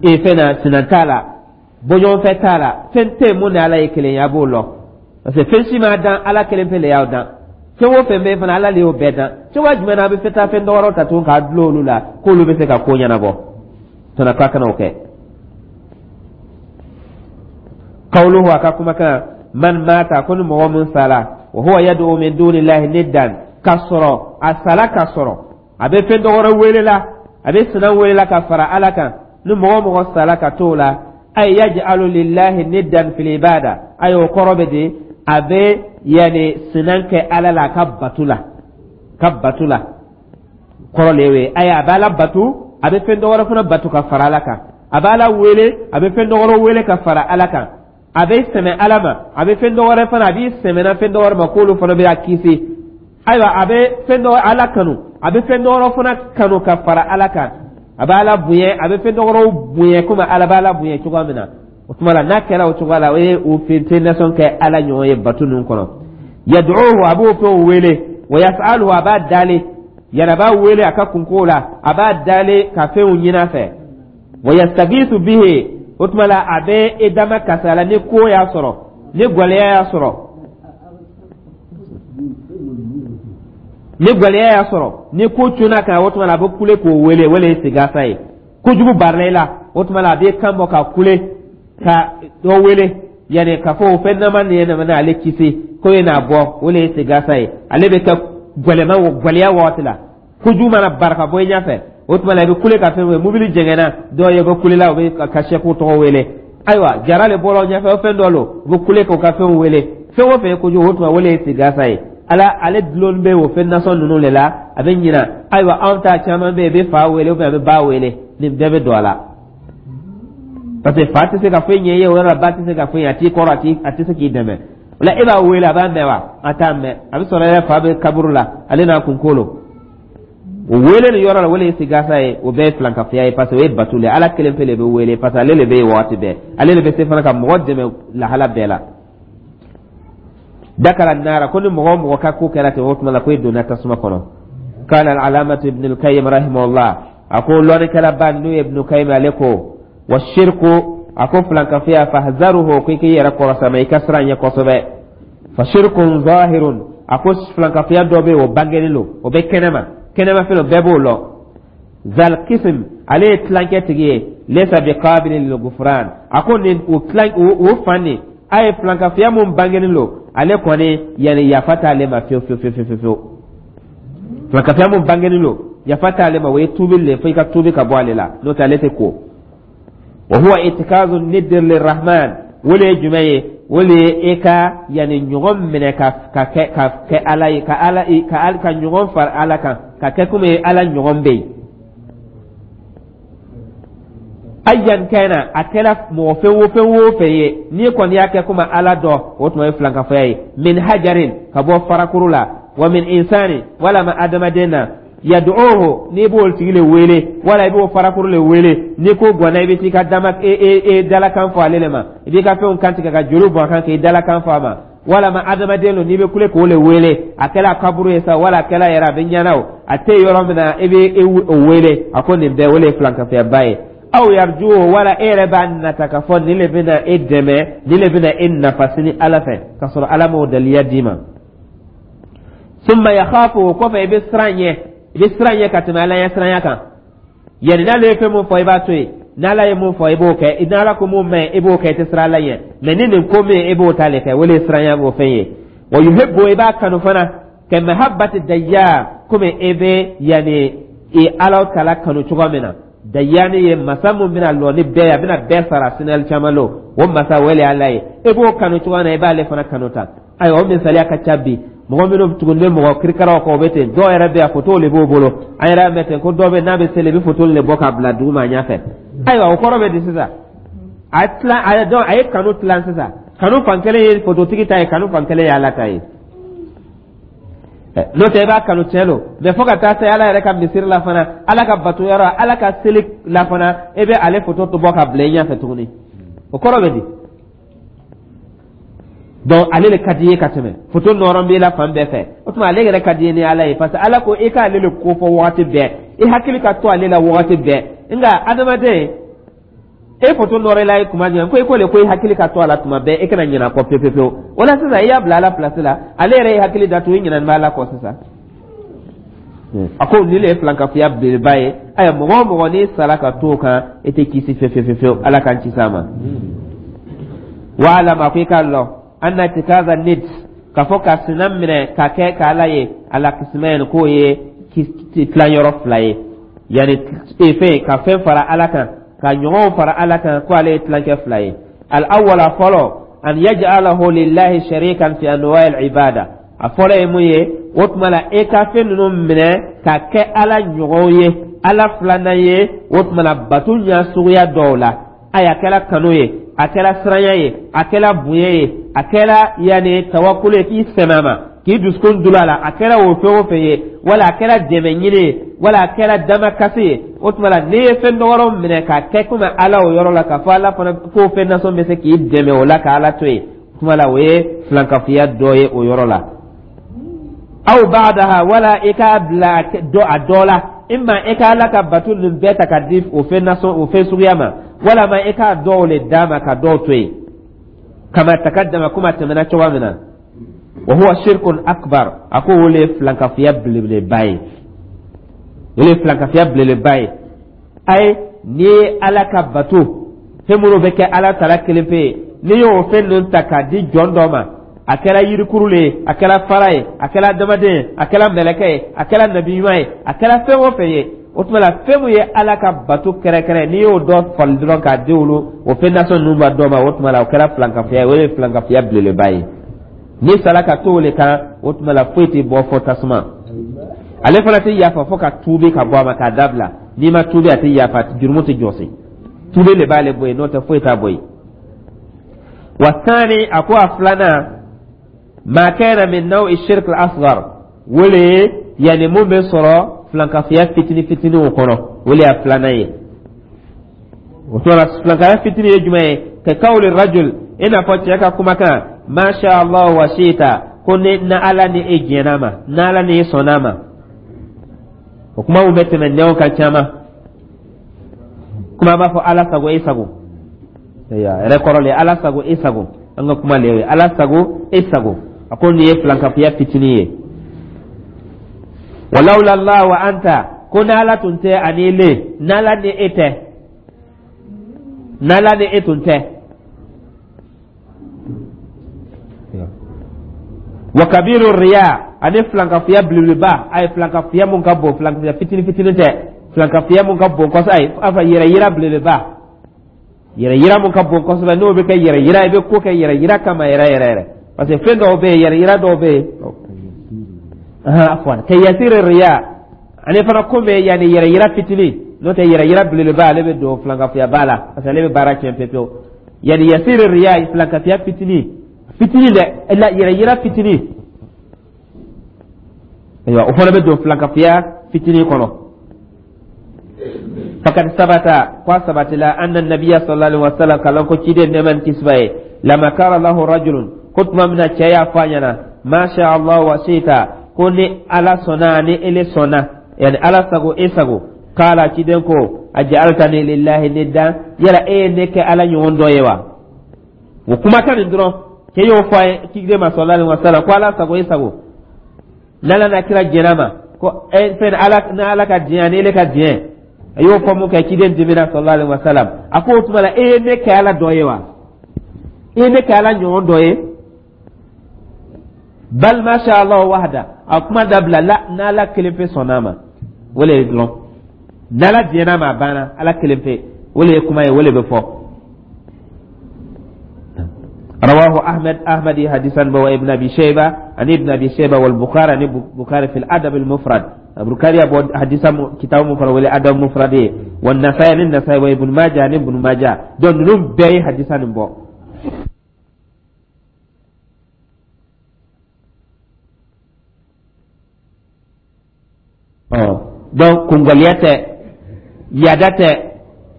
i fɛn na, sinan t'a la, bɔɲɔgɔnfɛ t'a la, fɛn tɛ yen mun ni Ala ye kelen ye, a b'o lɔn, parce que fɛn si ma dan, Ala kelen pe le y'aw dan. Fɛn o fɛn bɛ yen fana, Ala de y'o bɛɛ dan. Cogoya jumɛn na a bɛ fɛ taa fɛn dɔ wɛrɛw ta tuguni k'a dulon olu la k'olu bɛ se ka ko ɲɛnabɔ? Tɔnɔ k'a kana o kɛ. Qawluhu, a ka kumakan, man mata, ko ni mɔgɔ min sala, wa huwa yad'u min dunillahi niddan, ka sɔrɔ a sala ka sɔrɔ a bɛ fɛn dɔ wɛrɛ wele la, a bɛ sinan wele la ka fara Ala kan, ni mɔgɔ mɔgɔ sala ka t'o la, ay yaj'alu lillahi niddan fil ibada, ay o kɔrɔ bɛ di, a bɛ yani sinan kɛ Ala la a ka batu la, ka batu la kɔrɔ le ye. Ayi, a bɛ Ala batu, a bɛ fɛn dɔ wɛrɛ fana batu ka fara Ala kan, a bɛ Ala wele, a bɛ fɛn dɔ wɛrɛ wele ka fara Ala kan, a bɛ sɛmɛ Ala ma, a bɛ fɛn dɔ wɛrɛ fana, a b'i sɛmɛna fɛn dɔ wɛrɛ ma k'olu fana bɛ a kisi. Ayiwa, a bɛ fɛn dɔ Ala kanu, a bɛ fɛn dɔ wɛrɛ fana kanu ka fara Ala kan, a bɛ Ala bonya, a bɛ fɛn dɔ wɛrɛw bonya komi Ala bɛ Ala bonya cogoya min na. O tuma la n'a kɛra o cogoya la, o ye o fɛn nasɔn kɛ Ala ɲɔgɔn ye bato ninnu kɔnɔ. Yad'uhu, a b'o fɛnw wele, wa yas'aluhu, a b'a dali, yɛrɛ a b'a wele a ka kunko la, a b'a dali ka fɛnw ɲini a fɛ, wa yastagisu bihi, o tuma la a bɛ e dama kasala ni ko y'a sɔrɔ, ni gwɛlɛya y'a sɔrɔ, ni gwɛlɛya y'a sɔrɔ, ni ko cunna kan, o tuma la a bɛ kule k'o wele, wele ye sigasa ye. Kojugu barila i la, o tuma la a bɛ kan bɔ ka kule ka dɔ wele, yanni k'a fɔ o fɛn nama nin ye na ale kisi ko ye n'a bɔ, o le ye sigasa ye. Ale bɛ kɛ gwɛlɛma gwɛlɛya waati la, kojugu mana bari ka bɔ i ɲɛfɛ, o tuma la i bɛ kule ka fɛn wele, mobili jɛngɛnna dɔw ye, bɛ kule la, u bɛ ka sɛku tɔgɔ wele. Ayiwa, jara le bɔra o ɲɛfɛ, o fɛn dɔ lo, u bɛ kule k'o ka fɛnw wele, fɛn o fɛn ye kojugu, o tuma o le ye sigasa ye. Ala ale dulon bɛ o fɛn nasɔn ninnu de la, a bɛ ɲina. Ayiwa, anw ta caman bɛ yen, i bɛ fa wele ou bien a bɛ ba wele, nin bɛɛ bɛ don a la, parce que fa tɛ se ka foyi ɲɛ i ye o yɔrɔ la, ba tɛ se ka foyi ɲɛ, a t'i kɔrɔ, a t'i a tɛ se k'i dɛmɛ. O la e b'a wele, a b'a mɛn wa? A t'a mɛn. A bɛ sɔrɔ yɛrɛ fa bɛ kaburu la, ale n'a kunkolo o wele nin yɔrɔ la, o le ye sigasa ye. O bɛɛ ye filankafoya ye, parce que o ye bato le, Ala kelen pe le bɛ wele, parce que ale le bɛ yen waati bɛɛ, ale le bɛ se fana ka mɔgɔ dɛmɛ lahala bɛɛ la. Dakala nara, ko ni mɔgɔ o mɔgɔ ka ko kɛra ten, o tuma la ko e donna tasuma kɔnɔ. Qala al-alamatu ibn al-qayyim rahimahullah, a ko lɔnnikɛlaba n'o ye Ibn Qayyim, ale ko wa shirku, a ko filankafoya, fahzaruhu, ko i k'i yɛrɛ kɔrɔsama, i ka siran ɲɛ kosɛbɛ. Fa shirkun zahirun, a ko filankafoya dɔ bɛ yen, o bangenen don, o bɛ kɛnɛma, kɛnɛma fɛn dɔ bɛɛ b'o lɔn. Zal qism, ale ye tilankɛ tigi ye, laysa biqabilin lil ghufran, a ko nin o tilan o fan nin a ye filankafoya mun bangenen don, ale kɔni yanni yafa t'ale ma fiyewu fiyewu fiyewu fiyewu. Filankafoya mun bangenen don, yafa t'ale ma, o ye tuubi le, fo i ka tuubi ka bɔ ale la, n'o tɛ ale tɛ ko. Wa huwa itikazu niddir lirrahman, o le ye jumɛn ye? O le ye e ka yanni ɲɔgɔn minɛ ka ka kɛ ka kɛ Ala ye, ka Ala ka ka ɲɔgɔn fara Ala kan, ka kɛ komi Ala ɲɔgɔn bɛ yen. Ayyan kana, a kɛra mɔgɔ fɛn o fɛn o fɛn ye, n'i kɔni y'a kɛ komi Ala dɔ, o tuma ye filankafoya ye. Min hajarin, ka bɔ farakuru la, wa min insani, walama adamaden na, yad'uhu, n'i b'o tigi le wele, wala i b'o farakuru le wele, n'i ko gɔnna, i bɛ t'i ka dama e e e dalakan fɔ ale le ma, i b'i ka fɛnw kantigɛ ka joli bɔn a kan k'i dalakan fɔ a ma, walama adamaden don, n'i bɛ kule k'o le wele, a kɛla kaburu ye sa, wala a kɛla yɛrɛ a bɛ ɲɛna o, a tɛ yɔrɔ min na, i bɛ o wele, a ko nin bɛɛ o le ye filankafoyaba ye. Aw yarjuhu, wala e yɛrɛ b'a nata k'a fɔ nin le bɛna e dɛmɛ, nin le bɛna e nafa sini Ala fɛ, k'a sɔrɔ Ala m'o daliya d'i ma. Summa yakhafu, o kɔfɛ i bɛ siran ɲɛ, i bɛ siran ɲɛ ka tɛmɛ Ala ɲɛ siranya kan, yanni n'ale ye fɛn mun fɔ, i b'a to yen. N'Ala ye mun fɔ, i b'o kɛ. N'Ala ko mun man ɲi, i b'o kɛ, i tɛ siran Ala ɲɛ. Mɛ ni nin ko min, i b'o ta le kɛ, o le ye siranya o fɛn ye. Wa yuhibbu, i b'a kanu fana, ka mahabbati dayyan, komi e bɛ yanni i Ala tala kanu cogo min na. Dayani ye masa mun bɛna lɔ ni bɛɛ ye, a bɛna bɛɛ sara sinali caman lo, o masa wele Ala ye. E b'o kanu cogo min na, i b'ale fana kanu tan. Ayiwa, o misaliya ka ca bi. Mɔgɔ minnu tugunnen bɛ mɔgɔ kirikaraw kɔ, o bɛ ten. Dɔw yɛrɛ bɛ yan, foto de b'o bolo. An yɛrɛ y'a mɛn ten ko dɔw bɛ, n'a bɛ seli, i bɛ foto de bɔ k'a bila duguma a ɲɛfɛ. Ayiwa, o kɔrɔ bɛ di sisan? A tilan a ye, a ye kanu tilan sisan. Kanu fan kelen ye fototigi ta ye, kanu fan kelen ye Ala ta ye. N'o tɛ, i b'a kanu, tiɲɛ don, mɛ fo ka taa se Ala yɛrɛ ka misiri la fana, Ala ka bato yɔrɔ, Ala ka seli la fana, e bɛ ale foto to bɔ ka bila i ɲɛfɛ tuguni. O kɔrɔ bɛ di? Donc ale le ka di i ye ka tɛmɛ foto nɔrɔ b'i la fan bɛɛ fɛ. O tuma, ale yɛrɛ ka di i ye ni Ala ye, parce que Ala ko i k'ale le ko fɔ wagati bɛɛ, i hakili ka to ale la wagati bɛɛ. Nka adamaden, e foto nɔrɔ i la ye kuma jumɛn ko i ko le ko i hakili ka to a la tuma bɛɛ, e kana ɲinɛ a kɔ pewu pewu. O la sisan, i y'a bila Ala place la, ale yɛrɛ ye hakili datugu, i ɲinɛni bɛ Ala kɔ sisan. A ko nin le ye filankafoya belebeleba ye. Ayiwa, mɔgɔ o mɔgɔ n'i sara ka to o kan, e tɛ kisi fewu fewu fewu. Ala k'an kisi a ma. Wa'lam, a ko i k'a lɔn, anna ittikaza nid, k'a fɔ ka sina minɛ ka kɛ k'Ala ye, ala qismayn, k'o ye tilanyɔrɔ fila ye. Yanni fɛn ka fɛn fara Ala kan, ka ɲɔgɔnw fara Ala kan, ko ale ye tilancɛ fila ye. Al awwala, fɔlɔ, an yaj'alahu lillahi sharikan fi anwa'i al ibada. A fɔlɔ ye mun ye? O tuma la, e ka fɛn ninnu minɛ ka kɛ Ala ɲɔgɔnw ye, Ala filanan ye, o tuma la, bato ɲɛ suguya dɔw la. Ayi, a kɛra kanu ye, a kɛra siranya ye, a kɛra bonya ye, a kɛra yanni tawakulu ye, k'i sɛmɛ a ma, k'i dusukun dulon a la, a kɛra o fɛn o fɛn ye, wala a kɛra dɛmɛ ɲini ye, wala a kɛra damakasi ye. O tuma la, n'i ye fɛn dɔgɔrɔ minɛ k'a kɛ komi Ala o yɔrɔ la, k'a fɔ Ala fana k'o fɛn nasɔn bɛ se k'i dɛmɛ o la, ka Ala to yen, o tuma la, o ye filankafoya dɔ ye o yɔrɔ la. Aw ba'daha, wala i k'a bila dɔ a dɔ la, imma i ka Ala ka bato nin bɛɛ ta ka di o fɛn nasɔn, o fɛn suguya ma, walama i k'a dɔw le d'a ma ka dɔw to yen. Kama takaddama, kuma tɛmɛna cogoya min na. Wa huwa shirkun akbar, a ko o le ye filankafoya belebeleba ye, o le ye filankafoya belebeleba ye. Ayi, n'i ye Ala ka bato fɛn minnu bɛ kɛ Ala tala kelen pe ye, n'i y'o fɛn ninnu ta k'a di jɔn dɔ ma, a kɛra yirikuru le ye, a kɛra fara ye, a kɛra adamaden ye, a kɛra mɛlɛkɛ ye, a kɛra nabi ɲuman ye, a kɛra fɛn o fɛn ye, o tuma la, fɛn min ye Ala ka bato kɛrɛkɛrɛ, n'i y'o dɔ fali dɔrɔn k'a di olu o fɛn nasɔn ninnu ma dɔ ma, o tuma la, o kɛra filankafoya ye, o ye filankafoya belebeleba ye. N'i sara ka to o le kan, o tuma la, foyi tɛ bɔ fɔ tasuma. Ale fana tɛ yafa fo ka tuubi ka bɔ a ma k'a dabila. N'i ma tuubi, a tɛ yafa, jurumu tɛ jɔsi. Tuubi le b'ale bɔ yen, n'o tɛ foyi t'a bɔ yen. Wa thani, a ko a filanan, ma kana min naw'i shirk al-asghar, wele yanni mun bɛ sɔrɔ filankafoya fitini fitiniw kɔnɔ, o le y'a filanan ye. O tuma la, filankafoya fitini ye jumɛn ye? Ka qawli rajul, i n'a fɔ cɛ ka kumakan, masha Allah wa shita, ko ni na Ala ni e diɲɛna ma, n'Ala ni e sɔnna ma. O kumaw bɛ tɛmɛ nɛw kan caman. Kuma b'a fɔ Ala sago, e sago yɛrɛ kɔrɔ le, Ala sago, e sago. An ka kuma le ye Ala sago, e sago. A ko nin ye filankafoya fitinin ye. Walawla Allah wa anta, ko n'Ala tun tɛ ani le, n'Ala ni e tɛ, n'Ala ni e tun tɛ. Wa kabiru riya, ani filankafoya belebeleba. A ye filankafoya mun ka bon, filankafoya fitini fitini tɛ, filankafoya mun ka bon kosɛbɛ, ayi, a fɔ yɛrɛ yira belebeleba, yɛrɛ yira mun ka bon kosɛbɛ, n'o bɛ kɛ yɛrɛ yira, i bɛ ko kɛ yɛrɛ yira kama yɛrɛ yɛrɛ yɛrɛ, parce que fɛn dɔw bɛ yen, yɛrɛ yira dɔw bɛ yen. Afwan, ka yasiri riya, ani fana ko bɛ yanni yɛrɛ yira fitini, n'o tɛ yɛrɛ yira belebeleba, ale bɛ don filankafuyaba la, parce que ale bɛ baara tiɲɛ pewu pewu. Yanni yasiri riya, filankafuya fitini fitini dɛ, la yɛrɛ yira fitini. Ayiwa, o fana bɛ don filankafuya fitini kɔnɔ. Fakad sabata, ko a sabatila, anna nabiya sallallahu alaihi wasallam, kalan ko ciden nɛɛma ni kisi b'a ye, lama kara lahu rajulun, ko tuma min na cɛ y'a fɔ a ɲɛna, masha Allah wa shita, ko ni Ala sɔnna ni ele sɔnna, yani Ala sago, e sago. Kala, ciden ko, aj'altani lillahi niddan, yala e ye ne kɛ Ala ɲɔgɔn dɔ ye wa? O kumakan nin dɔrɔn, cɛ y'o fɔ a ye ciden ma sallallahu alaihi wasallam, ko Ala sago, e sago, n'Ala n'a kira jɛn'a ma, ko e fɛn ala n'Ala ka diɲɛ ani ele ka diɲɛ. A y'o fɔ mun kɛ, ciden dimina, sallallahu alaihi wasallam. A ko o tuma la, e ye ne kɛ Ala dɔ ye wa? I ye ne kɛ Ala ɲɔgɔn dɔ ye? Bal ma sha Allah wahda. A kuma dabila la, n'Ala kelen pe sɔnna a ma, o le ye dɔrɔn. N'Ala diɲɛna ma, a banna. Ala kelen pe, o le ye kuma ye, o le bɛ fɔ. رواه أحمد، أحمد حديثا، وابن أبي شيبة، عن ابن أبي شيبة، والبخاري، عن البخاري في الأدب المفرد. البخاري أبو حديثا كتاب مفرد ولا أدب مفرد. والنسائي، عن النسائي، وابن ماجه، عن ابن ماجه. donc ninnu bɛɛ ye hadisa nin bɔ. Donc kungaliya tɛ, yada tɛ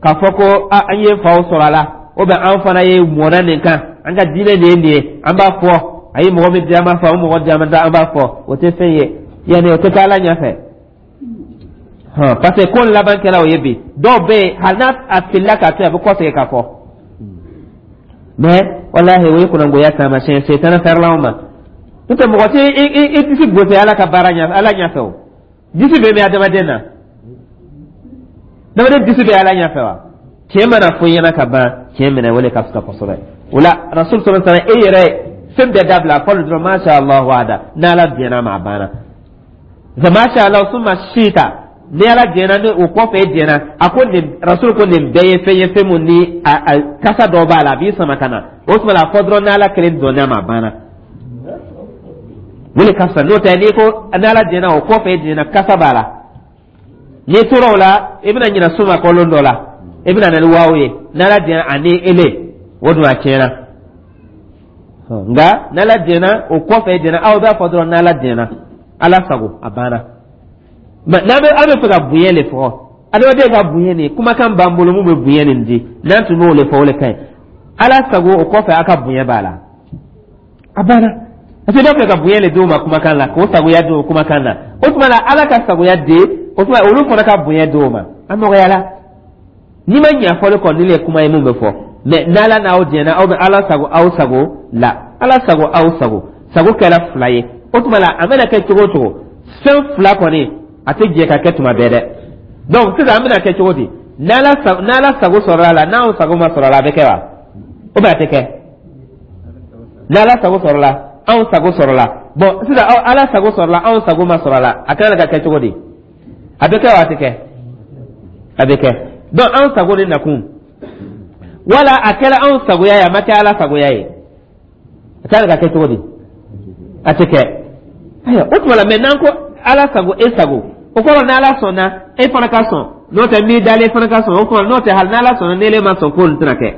k'a fɔ ko an ye faw sɔrɔ a la, ou bien an fana ye mɔnna nin kan, an ka diinɛ de ye nin ye, an b'a fɔ. A ye mɔgɔ min di, an b'a fɔ, o mɔgɔ di, an b'a fɔ. O tɛ fɛn ye, yanni o tɛ kɛ Ala ɲɛfɛ, parce que ko laban kɛra o ye. Bi dɔw bɛ yen, hali n'a a filila k'a to yen, a bɛ kɔsegin k'a fɔ. Mais walahi, o ye kunnangoya taamasiyɛn, setana fɛrɛla ma. N'o tɛ, mɔgɔ tɛ i disi gosi Ala ka baara ɲɛfɛ, Ala ɲɛfɛ. O disi bɛ min adamaden na, adamaden disi bɛ Ala ɲɛfɛ wa? Tiɲɛ mana fɔ i ɲɛna ka ban, tiɲɛ minɛ, o de ka fisa kosɛbɛ. O la, rasul sallallahu alaihi wasallam, e yɛrɛ fɛn bɛɛ dabila, fɔlɔ dɔrɔn masha Allah wahda, n'Ala diɲɛna ma, a banna. Masha Allah summa shita, ni Ala diɲɛna, ni o kɔfɛ e diɲɛna. A ko nin, rasul ko nin bɛɛ ye fɛn ye, fɛn mun ni a a kasa dɔ b'a la, a b'i sama ka na. O tuma la, a fɔ dɔrɔn n'Ala kelen dɔnna ma, a banna, o de ka fisa. N'o tɛ, n'i ko n'Ala diɲɛna, o kɔfɛ e diɲɛna, kasa b'a la. N'i tora o la, i bɛna ɲinɛ suma kɔlɔn dɔ la, i bɛna na ni waaw ye, n'Ala diɲɛna ani ele, o dun a tiɲɛna. Nka n'Ala diɲɛna, o kɔfɛ e diɲɛna, aw b'a fɔ dɔrɔn n'Ala diɲɛna, Ala sago, a banna. Mɛ n'an bɛ, an bɛ fɛ ka bonya de fɔ, adamaden ka bonya nin kumakan b'an bolo mun bɛ bonya nin di, n'an tun b'o de fɔ, o de ka ɲi. Ala sago, o kɔfɛ a ka bonya b'a la, a banna. Parce que b'a fɛ ka bonya de d'o ma kumakan la, k'o sagoya d'o kumakan na. O tuma la, Ala ka sagoya di, o tuma olu fana ka bonya d'o ma, a nɔgɔyala. N'i ma ɲɛ fɔli kɔ, ni le kuma ye mun bɛ fɔ. Mɛ n'Ala n'aw diɲɛna, aw bɛ Ala sago, aw sago la, Ala sago, aw sago, sago kɛra fila ye. O tuma la, a mana kɛ cogo o cogo, fɛn fila kɔni a tɛ jɛ ka kɛ tuma bɛɛ dɛ. Donc sisan, an bɛna kɛ cogo di? N'Ala sago, n'Ala sago sɔrɔ a la, n'anw sago ma sɔrɔ a la, a bɛ kɛ wa? Ou bien a tɛ kɛ? N'Ala sago sɔrɔ la, anw sago sɔrɔ la. Bon, sisan Ala sago sɔrɔ la, anw sago ma sɔrɔ a la, a kan ka kɛ cogo di? A bɛ kɛ wa, a tɛ kɛ? A bɛ kɛ. Donc anw sago de nakun, wala a kɛra anw sagoya ye, a ma kɛ Ala sagoya ye, a kan ka kɛ cogo di? A tɛ kɛ. Ayiwa, o tuma la, mɛ n'an ko Ala sago, e sago, o kɔrɔ n'Ala sɔnna, e fana ka sɔn. N'o tɛ, min dalen fana ka sɔn o kɔrɔ. N'o tɛ, hali n'Ala sɔnna, n'ele ma sɔn, ko nin tɛna kɛ.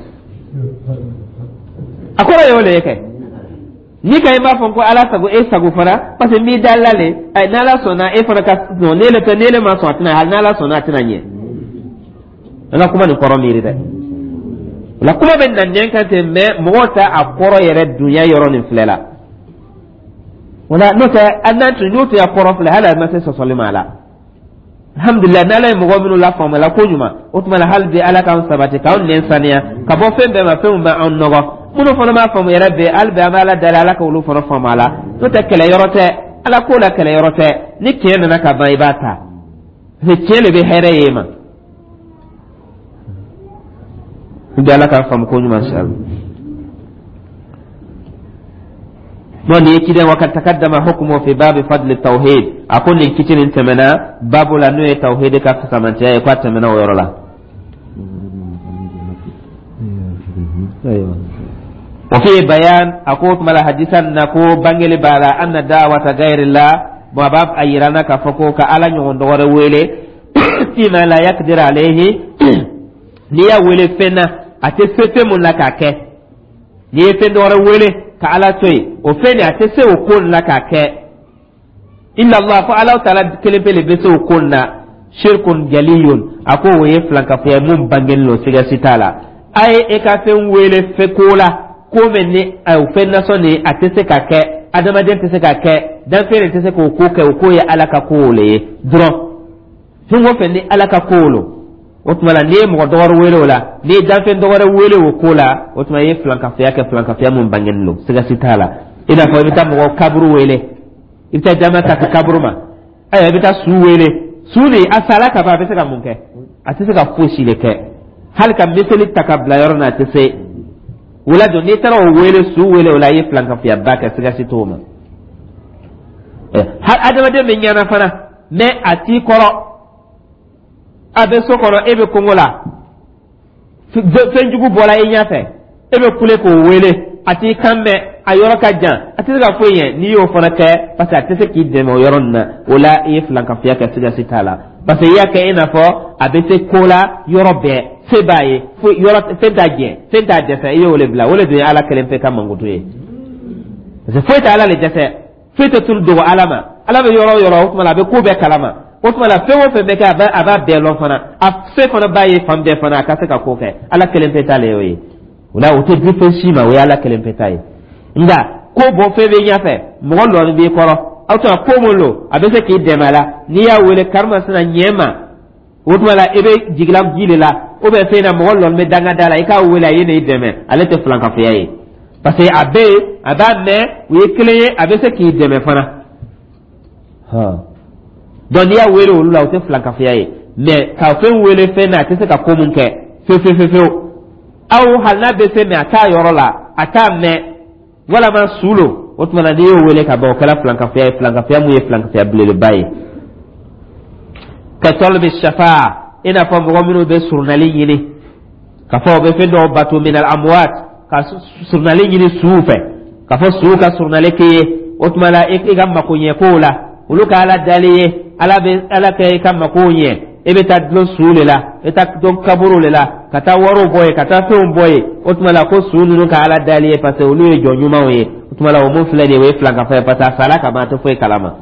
A kɔrɔ ye o de ye kɛ. Ni ka i b'a fɔ ko Ala sago, e sago fana, parce que n'i dala le, n'Ala sɔnna, e fana ka sɔn. N'ele tɛ, n'ele ma sɔn, a tɛna, hali n'Ala sɔnna, a tɛna ɲɛ. An ka kuma nin kɔrɔ miiri dɛ. O la, kuma bɛ na nɛn kan ten, mɛ mɔgɔw tɛ a kɔrɔ yɛrɛ dunya yɔrɔ nin filɛ la. O la, n'o tɛ, hali n'an tun n'o tun y'a kɔrɔ filɛ, hali a ma se sɔsɔli ma a la. Alhamdulilayi, n'Ala ye mɔgɔ minnu lafaamuya ko ɲuman, o tuma la, hali bi Ala k'an sabati, k'anw nɛn saniya ka bɔ fɛn bɛɛ ma, fɛn min bɛ anw nɔgɔ. Minnu fana b'a faamu yɛrɛ bɛ, hali bi an bɛ Ala dali, Ala ka olu fana faamu a la. N'o tɛ, kɛlɛ yɔrɔ tɛ, Ala ko la kɛlɛ yɔrɔ tɛ. Ni tiɲɛ nana ka ban, i b'a ta, parce que tiɲɛ de bɛ hɛrɛ ye ma. N bɛ Ala k'a faamu ko ɲuman sari. Bon, nin ye ciden. Wa kad takaddama hukmu fi babi fadli tawhid. A ko nin kiti nin tɛmɛna babu la, n'o ye tawhid ka fisamantiya ye, k'a tɛmɛna o yɔrɔ la. Wa fi bayan, a ko tuma la, hadisan na ko bangeli b'a la, anna da'wata gayrillah. Bon, a b'a a yira na k'a fɔ ko ka Ala ɲɔgɔn dɔ wɛrɛ wele, fima la yakdir alayhi, n'i y'a wele fɛn na, a tɛ se fɛn mun na k'a kɛ. N'i ye fɛn dɔ wɛrɛ wele ka Ala to yen, o fɛn nin, a tɛ se o ko nin na k'a kɛ, illa Allah, fo Ala taala kelen pe le bɛ se o ko nin na. Shirkun jaliyun, a ko o ye filankafoya mun bangelen don, siga si t'a la. A ye e ka fɛn wele fɛn ko la, ko min ni o fɛn nasɔn nin, a tɛ se ka kɛ, adamaden tɛ se ka kɛ, danfɛn de tɛ se k'o ko kɛ, o ko ye Ala ka ko le ye dɔrɔn. Fɛn o fɛn ni Ala ka ko lo, o tuma la, n'i ye mɔgɔ dɔ wɛrɛ wele o la, n'i ye danfɛn dɔ wɛrɛ wele o ko la, o tuma i ye filankafoya kɛ, filankafoya mun bangenen don, siga si t'a la. I n'a fɔ i bɛ taa mɔgɔ kaburu wele, i bɛ taa jama ta ka kaburu ma. Ayiwa, i bɛ taa su wele, su nin a sala ka ban, a bɛ se ka mun kɛ? A tɛ se ka fosi de kɛ, hali ka miseli ta ka bila yɔrɔ na, a tɛ se. O la don, n'i taara o wele, su wele, o la i ye filankafuyaba kɛ, siga si t'o ma. Hali adamaden bɛ ɲɛna fana, mais a t'i kɔrɔ, a bɛ so kɔnɔ, e bɛ kungo la, fɛnjugu bɔra i ɲɛfɛ, e bɛ kule k'o wele, a t'i kan mɛn, a yɔrɔ ka jan, a tɛ se ka foyi ɲɛ. N'i y'o fana kɛ, parce que a tɛ se k'i dɛmɛ o yɔrɔ nin na, o la i ye filankafoya kɛ, siga si t'a la, parce que i y'a kɛ i n'a fɔ a bɛ se ko la yɔrɔ bɛɛ, se b'a ye, fo yɔrɔ fɛn t'a jɛ, fɛn t'a dɛsɛ. I y'o de bila, o de dun ye Ala kelen pe ka mankutu ye, parce que foyi tɛ Ala le dɛsɛ, foyi tɛ tunu dogo Ala ma. Ala bɛ yɔrɔ o yɔrɔ, o tuma la a bɛ ko bɛɛ kalama. O tuma la, fɛn o fɛn bɛ kɛ, a b'a a b'a bɛɛ lɔn fana, a se fana b'a ye fan bɛɛ fana, a ka se ka ko kɛ. Ala kelen pe ta le y'o ye. O la, o tɛ di fɛn si ma, o ye Ala kelen pe ta ye. Nka ko bɔ fɛn bɛ ɲɛfɛ, mɔgɔ lɔnni b'i kɔrɔ, aw tuma ko mun lo, a bɛ se k'i dɛmɛ a la, n'i y'a wele karimasina ɲɛ ma, o tuma la i bɛ jigila ji de la, ou bien fɛn na, mɔgɔ lɔnni bɛ danga da la, i k'a wele, a ye n'i dɛmɛ, ale tɛ filankafoya ye, parce que a bɛ yen, a b'a mɛn, u ye kelen ye, a bɛ se k'i dɛmɛ fana. Donc n'i y'a wele olu la, o tɛ filankafoya ye. Mais ka fɛn wele fɛn na, a tɛ se ka ko mun kɛ fewu fewu fewu, aw hali n'a bɛ se, mais a t'a yɔrɔ la, a t'a mɛn, walama su lo, o tuma na n'i y'o wele ka ban, o kɛra filankafoya ye, filankafoya mun ye filankafoya belebeleba ye. Ka tɔlibi shafa, i n'a fɔ mɔgɔ minnu bɛ surunali ɲini, ka fɔ o bɛ fɛn dɔw bato, minal amwat, ka surunali ɲini suw fɛ, ka fɔ suw ka surunali k'i ye, o tuma la i ka mako ɲɛ kow la, olu ka Ala dali ye, Ala bɛ Ala kɛ i ka makow ɲɛ. E bɛ taa dulon suw de la, e taa dulon kaburu de la, ka taa wariw bɔ yen, ka taa fɛnw bɔ yen. O tuma la ko su ninnu ka Ala dali ye, parce que olu ye jɔn ɲumanw ye. O tuma la, o mun filɛ nin ye, o ye filankafo ye, parce que a sara ka ban, a tɛ foyi kalama.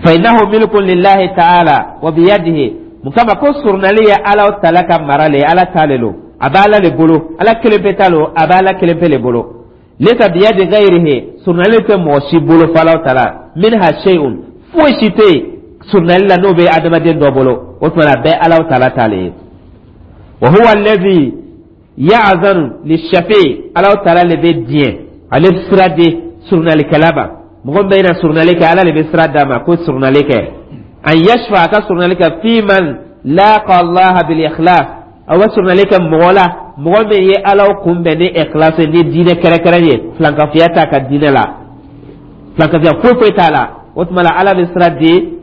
Fa innahu milkun lillahi ta'ala wa biyadihi. Mun kama? Ko surunali ye Ala tala ka mara le ye, Ala ta le lo, a bɛ Ala le bolo, Ala kelen pe ta lo, a bɛ Ala kelen pe le bolo. Laysa biyadi ghayrihi, surunali tɛ mɔgɔ si bolo fo Ala tala. Minha shay'un, foyi si tɛ yen surunali la n'o bɛ adamaden dɔ bolo. O tuma na, a bɛɛ Ala tala ta le ye. Wa huwa alladhi ya'zanu lishafi, Ala tala le bɛ diɲɛ, ale sira di surunalikɛla ma. Mɔgɔ min bɛ na surunali kɛ, Ala le bɛ sira d'a ma ko surunali kɛ, an yashfa, a ka surunali kɛ, fi man laqa Allah bil ikhlas, a bɛ surunali kɛ mɔgɔ la, mɔgɔ min ye Ala kunbɛn ni ikhlas, ni diinɛ kɛrɛkɛrɛ ye, filankafoya t'a ka diinɛ la, filankafoya foyi foyi t'a la. O tuma la, Ala bɛ sira di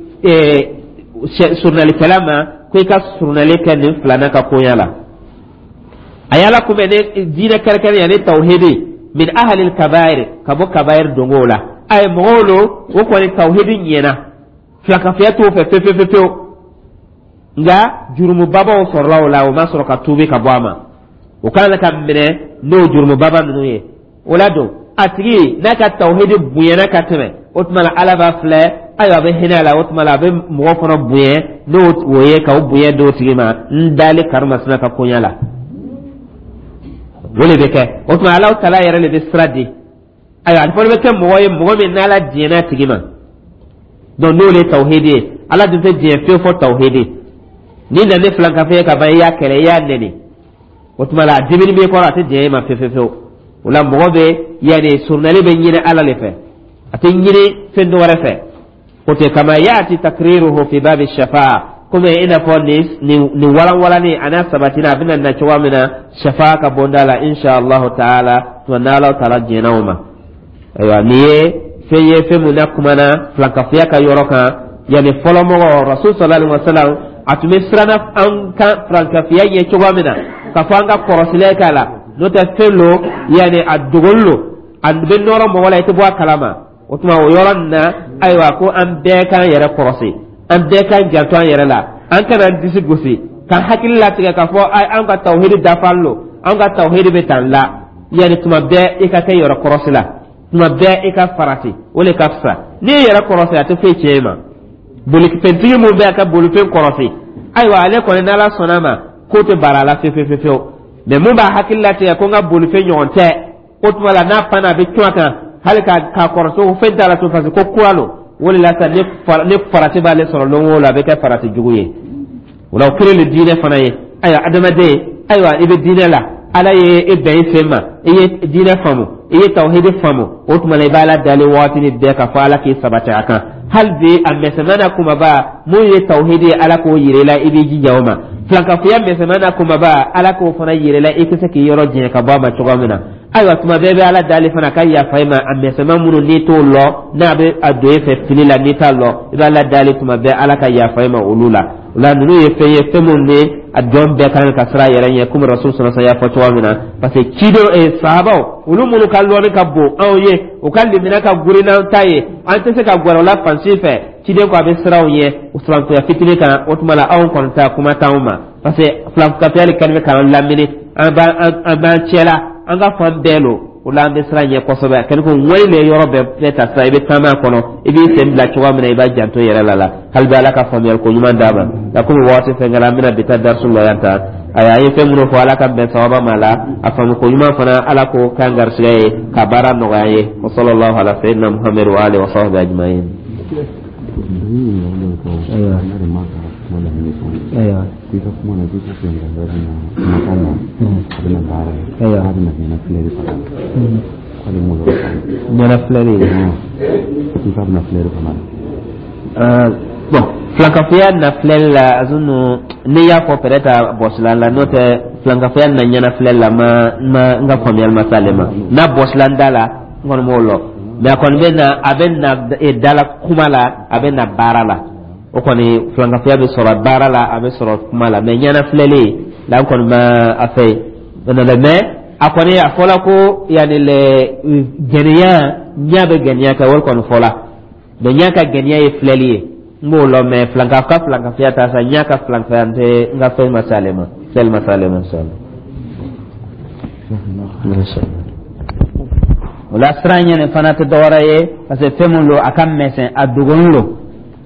surunalikɛla ma ko i ka surunali kɛ nin filanan ka koɲa la, a ye Ala kunbɛn ni diinɛ kɛrɛkɛrɛ ye, ni tawhidi, min ahalil kabair, ka bɔ kabair dongow la. A ye mɔgɔw lo, o kɔni tawhidi ɲɛna, filankafoya t'o fɛ fewu fewu fewu, nka jurumubabaw sɔrɔla o la, o ma sɔrɔ ka tuubi ka bɔ a ma, o kan ka minɛ n'o jurumubaba ninnu ye. O la don, a tigi n'a ka tawhidi bonyana ka tɛmɛ, o tuma la Ala b'a filɛ, ayiwa, a bɛ hinɛ a la. O tuma la, a bɛ mɔgɔ fana bonya n'o o ye, ka o bonya d'o tigi ma n dali karimasina ka koɲa la, o de bɛ kɛ. O tuma, Ala tala yɛrɛ de bɛ sira di. Ayiwa, a fana bɛ kɛ mɔgɔ ye, mɔgɔ min n'Ala diɲɛna a tigi ma. Donc n'o de ye tawhidi ye, Ala dun tɛ diɲɛ fiyewu fɔ tawhidi. N'i nana ni filankafoya ye ka ban, i y'a kɛlɛ, i y'a nɛni, o tuma la a dimini b'i kɔrɔ, a tɛ diɲɛ e ma fiyewu fiyewu. O la, mɔgɔ bɛ yanni surunali bɛ ɲini Ala de fɛ, a tɛ ɲini fɛn dɔ wɛrɛ fɛ. O tɛ kama yaati takriruhu fi babi shafa'a, komi i n'a fɔ nin nin nin walanwalani a n'a sabatina, a bɛna na cogoya min na shafa'a ka bonda la, insha Allahu taala, tuma n'Ala taala diɲɛna o ma. Ayiwa, nin ye fɛn ye, fɛn mun na kumana filankafoya ka yɔrɔ kan. Yanni fɔlɔmɔgɔ Rasul sallallahu alaihi wa sallam, a tun bɛ siranna an kan filankafoya ɲɛ cogoya min na, k'a fɔ an ka kɔrɔsili k'a la, n'o tɛ fɛn lo, yanni a dogoli lo, a bɛ nɔrɔ mɔgɔ la, i tɛ bɔ a kalama. O tuma, o yɔrɔ nin na, ayiwa, ko an bɛɛ k'an yɛrɛ kɔrɔsi, an bɛɛ k'an janto an yɛrɛ la, an kana an disi gosi k'an hakili latigɛ k'a fɔ an ka tawhidi dafalen lo, an ka tawhidi bɛ tan la. Yanni tuma bɛɛ i ka kɛ yɛrɛ kɔrɔsi la, tuma bɛɛ i ka farati, o de ka fisa. N'i ye yɛrɛ kɔrɔsi, a tɛ foyi tiɲɛ i ma. Bolifɛntigi mun bɛ a ka bolifɛn kɔrɔsi, ayiwa, ale kɔni, n'Ala sɔnna ma, k'o tɛ baara la fewu fewu fewu. Mais mun b'a hakili latigɛ ko n ka bolifɛn ɲɔgɔn tɛ, o tuma la n'a panna, a bɛ cun a kan hali ka k'a kɔrɔsi ko fɛn t'a la tun, parce que ko kura lo. O de la sa, ni ni farati b'ale sɔrɔ lon o lon, a bɛ kɛ farati jugu ye. O la, o kelen de diinɛ fana ye. Ayiwa, adamaden, ayiwa, i bɛ diinɛ la, Ala ye e bɛn i sen ma, i ye diinɛ faamu, i ye tawhidi faamu, o tuma na i b'Ala dali waati ni bɛɛ k'a fɔ Ala k'i sabati a kan. Hali bi, a mɛsɛmɛ n'a kumaba mun ye tawhidi ye, Ala k'o yira i la, i b'i jija o ma. Filankafoya mɛsɛmɛ n'a kumaba, Ala k'o fana yira i la, i tɛ se k'i yɔrɔ janya ka bɔ a ma cogoya min na. Ayiwa, tuma bɛɛ bɛ Ala dali fana ka yafa i ma a mɛsɛmɛ minnu n'i t'o lɔ, n'a bɛ a don e fɛ fili la, n'i t'a lɔ, i bɛ Ala dali tuma bɛɛ, Ala ka yafa i ma olu la. O la, ninnu ye fɛn ye, fɛn minnu ni a jɔn bɛɛ kan ka siran a yɛrɛ ɲɛ, komi Rasul sɔrɔ y'a fɔ cogoya min na, parce que ciden eh, sahabaw, olu minnu ka lɔnni ka bon anw ye, u ka limina ka gurin n'an ta ye, an tɛ se ka gɛrɛ o la fan si fɛ. Ciden ko a bɛ siran u ɲɛ o filankafoya fitinin kan. O tuma la, anw kɔni ta kuma t'anw ma, parce que filankafoya de kɛlen bɛ k'an lamini, an b'an an b'an cɛla, an ka fan bɛɛ lo. O la, an bɛ siran ɲɛ kosɛbɛ. A kɛlen ko ŋɔni le yɔrɔ bɛɛ bɛɛ ta sisan, i bɛ taama a kɔnɔ, i b'i sen bila cogoya min na, i b'a janto yɛrɛ la la Hali bi, Ala ka faamuyali ko ɲuman d'a ma. Nka komi waati fɛn kɛra, an bɛna bi ta darisu la yan tan. Ayiwa, an ye fɛn minnu fɔ, Ala ka bɛn sababa ma la. A faamu ko ɲuman fana, Ala ko k'an garisɛgɛ ye ka baara nɔgɔya an ye. Wa sallallahu ala sayyidina Muhammad wa alihi wa sahbihi ajma'in. Ayiwa, ayiwa. K'i ka kuma na, k'i ko filankafoya bɛ na kumakan na, a bɛ na baara ye. Ayiwa. K'a bɛ na ɲɛna filɛli fana, k'ale m'o yɔrɔ faamu. Ɲɛna filɛli? K'i k'a bɛna filɛli fana. Bon, filankafoya na filɛli la, azunu n'i y'a fɔ, peut-être a bɔsila la, n'o tɛ filankafoya na ɲɛna filɛli la, ma ma n ka faamuyali ma s'ale ma. N'a bɔsila n da la, n kɔni m'o lɔ, mais a kɔni bɛ na, a bɛ na da la kuma la, a bɛ na baara la. O kɔni, filankafoya bɛ sɔrɔ baara la, a bɛ sɔrɔ kuma la, mais ɲɛna filɛli la, n kɔni ma a fɛ mais a kɔni a fɔla ko yanni lɛ gɛnɛya, ɲɛ bɛ gɛnɛya kɛ, o kɔni fɔla, mais ɲɛ ka gɛnɛya ye filɛli ye, n b'o lɔ. Mais filanka ka filankafoya ta sa, ɲɛ ka filankafoya n tɛ, n ka fɛn ma s'ale ma, filɛli ma s'ale ma, inshallah. Inshallah. O la, siran ɲɛ nin fana tɛ dɔwɛrɛ ye, parce que fɛn mun don, a ka mɛsɛn, a dogonin don,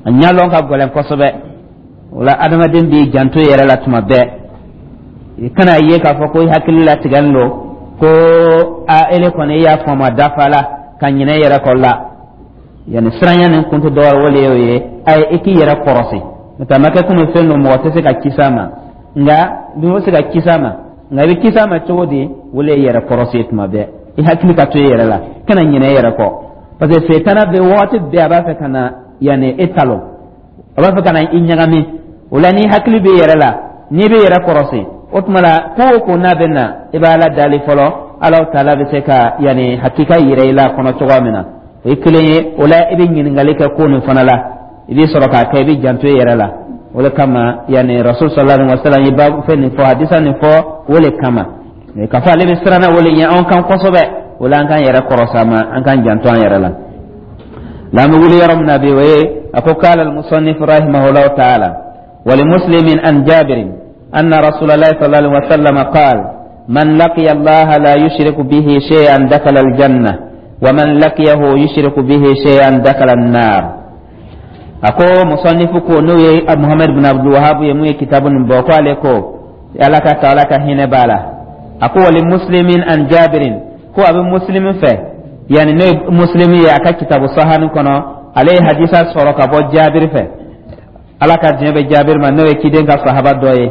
a ɲɛlɔn ka gɛlɛn kosɛbɛ. O la, adamaden b'i janto i yɛrɛ la tuma bɛɛ. I kana ye k'a fɔ ko i hakili latigɛlen don, ko a ele kɔni i y'a faamu, a dafa la, ka ɲinɛ i yɛrɛ kɔ la. Yanni siranya nin kun tɛ dɔwɛrɛ, o le y'o ye. A ye i k'i yɛrɛ kɔrɔsi, n'o tɛ a ma kɛ komi fɛn don mɔgɔ tɛ se ka kisi a ma. Nka n'i bɛ se ka kisi a ma, nka i bɛ kisi a ma cogo di? O le ye yɛrɛ kɔrɔsi ye. Tuma bɛɛ i hakili ka to i yɛrɛ la, kana ɲinɛ i yɛrɛ kɔ, parce que setana bɛ waati bɛɛ a b'a fɛ ka na yanni e talon, a b'a fɛ ka na i ɲagami. O la, n'i hakili b'i yɛrɛ la, n'i bɛ yɛrɛ kɔrɔsi, o tuma la, ko o ko n'a bɛ na, i bɛ Ala dali fɔlɔ, Ala taala bɛ se ka yanni hakika yira i la a kɔnɔ cogoya min na. O ye kelen ye. O la, i bɛ ɲininkali kɛ ko nin fana la, i bɛ sɔrɔ k'a kɛ, i bɛ janto i yɛrɛ la. O de kama yanni Rasul sallallahu alaihi wa sallam ye baabu fɛn nin fɔ, hadisa nin fɔ, o de kama k'a fɔ ale bɛ siran na, o de ɲɛ anw kan kosɛbɛ. O la, an k'an yɛrɛ kɔrɔsi a ma, an k'an janto an yɛrɛ la. La an bɛ wuli yɔrɔ min na bi, o ye a ko: qala al-musannif rahimahullahu ta'ala: ولمسلم عن جابر أن رسول الله صلى الله عليه وسلم قال: من لقي الله لا يشرك به شيئا دخل الجنة، ومن لقيه يشرك به شيئا دخل النار. A ko musannifu ko, n'o ye Muhammad bin Abdul Wahab ye, mun ye kitabu nin bɔ, ko ale ko, Ala ka ta, Ala ka hinɛ b'a la, a ko: ولمسلم عن جابر, ko a bɛ Muslimin fɛ, yani n'o ye Muslimi ye, a ka kitabu sahani kɔnɔ, ale ye hadisa sɔrɔ ka bɔ Jabiri fɛ, Ala ka diɲɛ bɛ Jabiri ma, n'o ye ciden ka sahaba dɔ ye,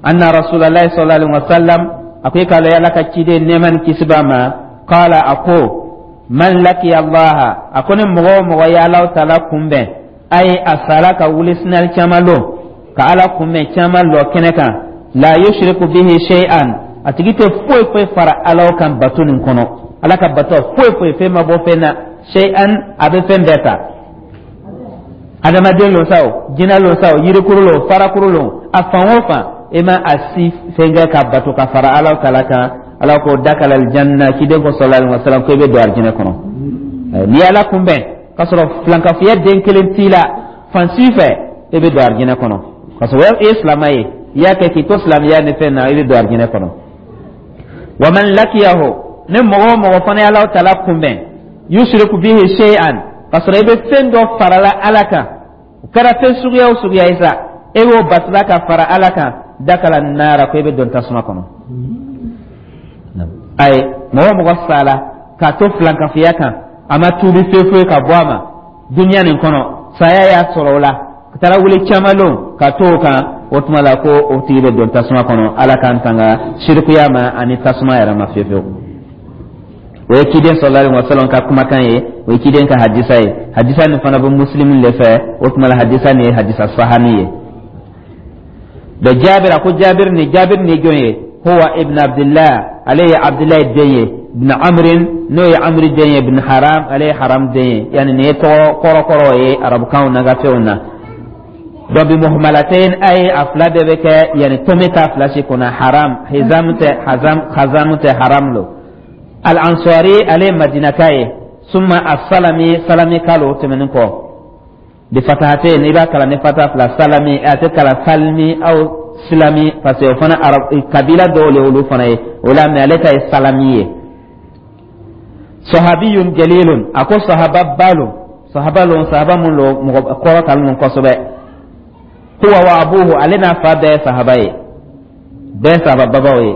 أن رسول الله صلى الله عليه وسلم, a ko i k'a lɔn Ala ka ciden, nɛɛma ni kisi b'a ma, قال, a ko: من لقي الله, a ko ni mɔgɔ o mɔgɔ ye Alahu taala kunbɛn, a ye a sara ka wuli sinali caman lon ka Ala kunbɛn caman lɔ kɛnɛ kan, لا يشرك به شيئا, a tigi tɛ foyi foyi fara Ala kan bato nin kɔnɔ, Ala ka bato foyi foyi fɛn ma bɔ fɛn na, شيئا, a bɛ fɛn bɛɛ ta, adamaden lo sa o, jinɛ lo sa o, yirikuru lo, farakuru lo, a fan o fan, e ma a si fɛn kɛ ka bato ka fara Ala taala kan, Ala ko: دخل الجنة. Ciden ko صلى الله عليه وسلم ko i bɛ don arijinɛ kɔnɔ. N'i ye Ala kunbɛn k'a sɔrɔ filankafoya den kelen t'i la fan si fɛ, e bɛ don arijinɛ kɔnɔ, k'a sɔrɔ e ye silamɛ ye, i y'a kɛ k'i to silamɛya ni fɛn na, i bɛ don arijinɛ kɔnɔ. ومن لقيه, ni mɔgɔ o mɔgɔ fana ye Ala taala kunbɛn, يشرك به شيئا, k'a sɔrɔ i bɛ fɛn dɔ farala Ala kan, o kɛra fɛn suguya o suguya ye sa, e b'o batula ka fara Ala kan, دخل النار, ko i bɛ don tasuma kɔnɔ. Ayi, mɔgɔ o mɔgɔ sala k'a to filankafoya kan, a ma tuubi foyi foyi ka bɔ a ma duniya nin kɔnɔ, saya y'a sɔrɔ o la, ka taara wuli caman lon ka to o kan, o tuma la, ko o tigi bɛ don tasuma kɔnɔ. Ala k'an tanga sirikuya ma ani tasuma yɛrɛ ma fiyewu fiyewu. O ye ciden صلى الله عليه وسلم ka kumakan ye, o ye ciden ka hadisa ye. Hadisa nin fana bɛ Muslim le fɛ. O tuma la, hadisa nin ye hadisa sahani ye. Da Jabir, a ko Jabir ni, Jabir ni jɔn ye? Huwa ibn Abdullah, ale ye Abdullahi den ye, ibn Amrin, n'o ye Amri den ye, ibn Haram, ale ye Haram den ye. Yani nin ye tɔgɔ kɔrɔkɔrɔ ye arabukanw na ka fɛnw na. Donc bi muhmalatayn, ay a fila bɛɛ bɛ kɛ, yani tome t'a fila si kunna. Haram, Hizam tɛ, Hazam, Khazam tɛ, Haram lo. Al Ansari, ale ye Madinaka ye. Summa asalami, salami kalo tɛmɛnen kɔ, bi fatahatain, i b'a kalan ni fata fila, salami. A tɛ kalan salmi aw silami, parce que o fana arab kabila dɔw le olu fana ye o la, mais ale ta ye salami ye. Sahabiyun jalilun, a ko sahaba ba lo, sahaba lo, sahaba mun lo, mɔgɔ kɔrɔ talen lo kosɛbɛ. Huwa wa abuhu, ale n'a fa bɛɛ ye sahaba ye, bɛɛ sahaba babaw ye.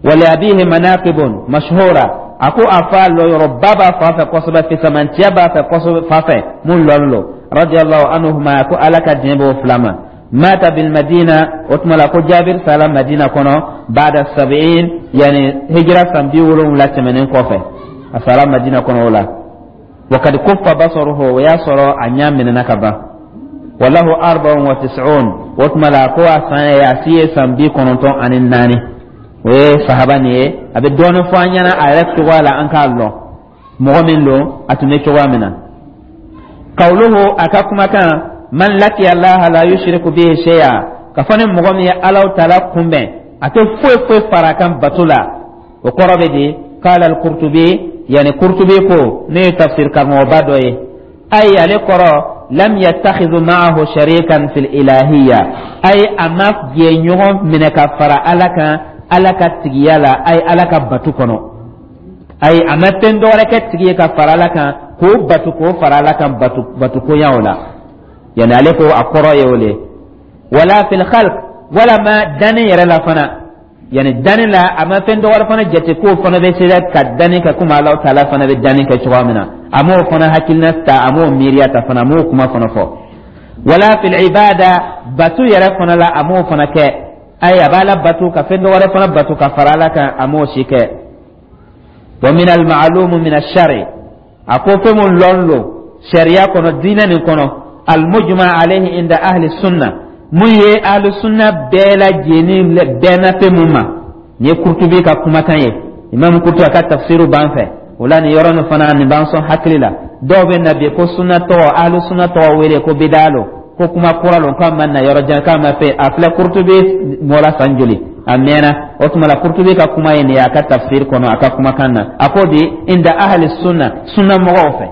Wali abihi manaqibun mashhura, a ko a fa lɔyɔrɔba b'a fa fɛ kosɛbɛ, fisamantiya b'a fɛ kosɛbɛ fa fɛ mun lɔn lo. Radiyallahu anhuma, ko Ala ka diɲɛ b'o fila ma. Mata bil Madina, o tuma la ko Jabir sala Madina kɔnɔ, ba'da sab'in, yani hijra san bi wolonwula tɛmɛnen kɔfɛ, a sara Madina kɔnɔ o la. Wa kad kuffa basaruhu, o y'a sɔrɔ a ɲa minɛna ka ban. Walahu arba'un wa tis'un, o tuma la ko a san ye, a si ye san bi kɔnɔntɔn ani naani. O ye sahaba nin ye. A bɛ dɔɔnin fɔ an ɲɛna a yɛrɛ cogoya la, an k'a lɔn mɔgɔ min don, a tun bɛ cogoya min na. Kawluhu, a ka kumakan, man laqiya Allaha la yushriku bihi shay'a, ka fɔ ni mɔgɔ min ye Alahu taala kunbɛn, a tɛ foyi foyi fara a kan bato la, o kɔrɔ bɛ di? Qala al-Qurtubi, yani Qurtubi ko, ne ye tafsir karamɔgɔba dɔ ye, ayi, ale kɔrɔ lam yattakhidhu ma'ahu sharikan fil ilahiyya, ay a ma jɛɲɔgɔn minɛ ka fara Ala kan Ala ka tigiya la, ay Ala ka batu kɔnɔ, ayi, a ma fɛn dɔwɛrɛ kɛ tigi ye ka fara Ala kan k'o batu, k'o fara Ala kan batu batukoya o la. Yani ale ko a kɔrɔ ye o le. Wala fil khalq, wala ma danni yɛrɛ la fana, yani danni la, a ma fɛn dɔwɛrɛ fana jate k'o fana bɛ se ka danni kɛ komi Alahu taala fana bɛ danni kɛ cogoya min na. A m'o fana hakilina ta, a m'o miiriya ta fana, a m'o kuma fana fɔ. Wala fil ibada, batu yɛrɛ fana la, a m'o fana kɛ. Ayi, a b'a la batu ka fɛn dɔwɛrɛ fana batu ka fara Ala kan, a m'o si kɛ. Wa min al ma'lum min ash-shari, a ko fɛn mun lɔn lo sariya kɔnɔ, diinɛ nin kɔnɔ, al mujma alayhi inda ahli sunna, mun ye ahli sunna bɛɛ lajɛlen bɛnna fɛn mun ma. Nin ye Kurtubi ka kumakan ye. Imam Kurtubi a ka tafsiru b'an fɛ o la. Nin yɔrɔ nin fana, nin b'an sɔn hakili la. Dɔw bɛ na bi ko sunna tɔgɔ, ahli sunna tɔgɔ wele ko bidaa lo, ko kuma kura lo, k'a ma na yɔrɔ jan, k'a ma fɛ. A filɛ, Kurtubi mɔra san joli, a mɛnna. O tuma la, Kurtubi ka kuma ye nin ye a ka tafsir kɔnɔ, a ka kumakan na, a ko di inda ahli sunna, sunna mɔgɔw fɛ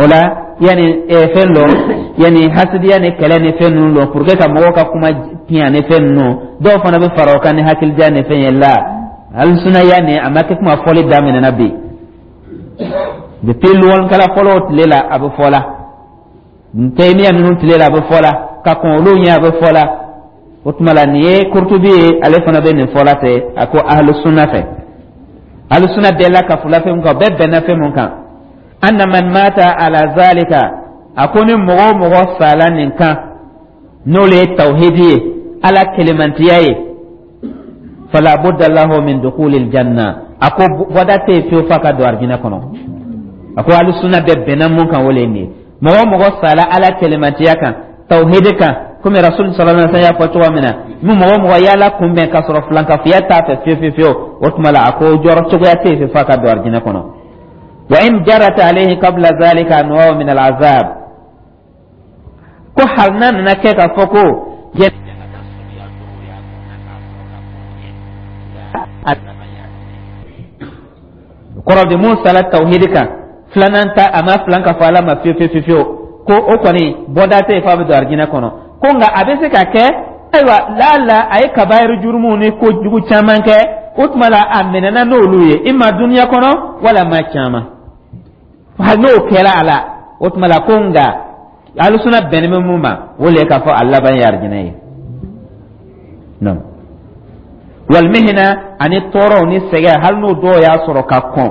o la. Yani fɛn dɔ, yani hasidiya ni kɛlɛ ni fɛn ninnu dɔn pour que ka mɔgɔw ka kuma tiɲɛ ni fɛn ninnu, dɔw fana bɛ fara o kan ni hakilija ni fɛn ye la. Alisunaya nin, a ma kɛ kuma fɔli daminɛna bi. Depuis lɔnkɛla fɔlɔw tile la, a bɛ fɔ la. Taymiya ninnu tile la, a bɛ fɔ la. Ka kɔn olu ɲɛ, a bɛ fɔ la. O tuma la, nin ye Kurtubi ye, ale fana bɛ nin fɔ la ten. A ko ahlu sunna fɛ, ahlu sunna bɛɛ la ka fula fɛn mun kan, bɛɛ bɛnna fɛn mun kan, anna man mata ala zalika, a ko ni mɔgɔ o mɔgɔ sala nin kan, n'o le ye tawhidi ye, Ala kelemantiya ye, fala budda lahu min dukhulil janna, a ko bɔda tɛ yen fiyewu f'a ka don arijinɛ kɔnɔ. A ko ahlu sunna bɛɛ bɛnna mun kan, o le ye nin ye. Mɔgɔ o mɔgɔ sala Ala kelemantiya kan, tawhidi kan, komi Rasul sallallahu alaihi wasallam y'a fɔ cogo min na, ni mɔgɔ o mɔgɔ y'Ala kunbɛn k'a sɔrɔ filankafoya t'a fɛ fiyewu fiyewu fiyewu, o tuma la, a ko jɔrɔ cogoya tɛ yen f'a ka don arijinɛ kɔnɔ. Wa in jarat alayhi qabla zalika anwa'u min al'azab, ko hali n'a nana kɛ k'a fɔ ko kɔrɔ de mun sala tawhidi kan, filanan ta, a ma filan ka fɔ Ala ma fiyewu fiyewu fiyewu, ko o kɔni bɔda tɛ yen f'a bɛ don arijinɛ kɔnɔ. Ko nka a bɛ se ka kɛ, ayiwa, laala a ye kabayiru jurumu ni kojugu caman kɛ, o tuma la a minɛna n'olu ye i ma duniya kɔnɔ wala ma caman, hali n'o kɛra a la, o tuma la ko nka alusuna bɛnnen bɛ mun ma, o le ye k'a fɔ a laban ye arijinɛ ye. Non walimihina, ani tɔɔrɔw ni sɛgɛn, hali n'o dɔw y'a sɔrɔ ka kɔn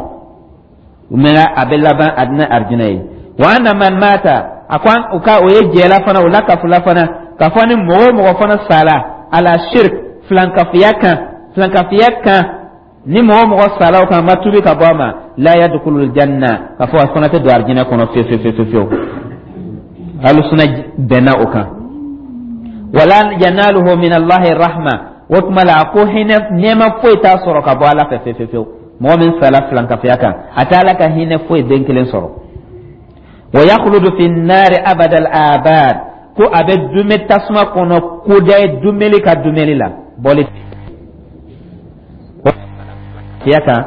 mɛ, a bɛ laban a bɛna arijinɛ ye. Wa anna man mata, a ko u ka o ye jɛla fana, o la kafula fana, k'a fɔ ni mɔgɔ o mɔgɔ fana sala ala shirk, filankafiya kan, filankafiya kan. Ni mɔgɔ mɔgɔ sala o kan, ma tubi ka bɔ a ma, la yadkhulul janna, k'a fɔ a fana tɛ don arijinɛ kɔnɔ fiyewu fiyewu fiyewu fiyewu. Alusuna bɛnna o kan. Wala yanaluhu min Allahi rahma. O tuma la, a ko hinɛ nɛɛma foyi t'a sɔrɔ ka bɔ Ala fɛ fiyewu fiyewu. Mɔgɔ min sala filankafoya kan, a tɛ Ala ka hinɛ foyi den kelen sɔrɔ. Wa yakhludu fi nari abadal abad, ko a bɛ dume tasuma kɔnɔ kodaye dumeli ka dumeli la bɔli fiya kan.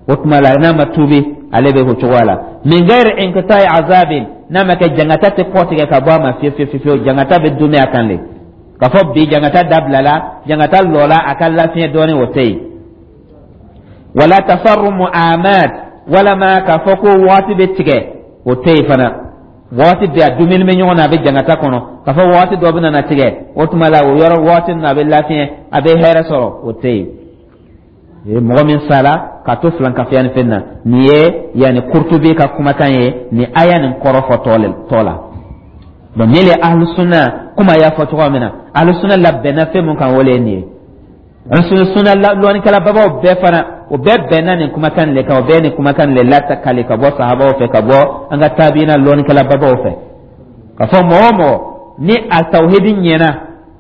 O tuma la, n'a ma tuubi, ale bɛ o cogoya la, min ghairi inqita'i azabin, n'a ma kɛ jangata tɛ kɔtigɛ ka bɔ a ma fiyewu fiyewu fiyewu. Jangata bɛ dume a kan de. K'a fɔ bi jangata dabilala, jangata lɔla, a ka lafiɲɛ dɔɔnin, o tɛ yen. Wala tasarrumu amat, walama k'a fɔ ko waati bɛ tigɛ, o tɛ yen fana. Waati bɛɛ a dumuni bɛ ɲɔgɔn na, a bɛ jangata kɔnɔ. K'a fɔ waati dɔ bɛ na tigɛ, o tuma la, o yɔrɔ waati ninnu, a bɛ lafiɲɛ, a bɛ hɛrɛ sɔrɔ, o tɛ yen. Mɔgɔ min sara k'a to filankafoya ni fɛn na, nin ye yanni Kurtubi ka kumakan ye nin aya nin kɔrɔ fɔ tɔ la. Donc nin le ahlusunna komi a y'a fɔ cogoya min na, ahlusunna labɛnna fɛn mun kan, o le ye nin ye. Sunna lɔnnikɛla babaw bɛɛ fana, o bɛɛ bɛnna nin kumakan le kan. O bɛɛ nin kumakan le latakali ka bɔ sahabaw fɛ, ka bɔ an ka tabiina lɔnnikɛla babaw fɛ, ka fɔ mɔgɔ o mɔgɔ ni a tawhidi ɲɛna,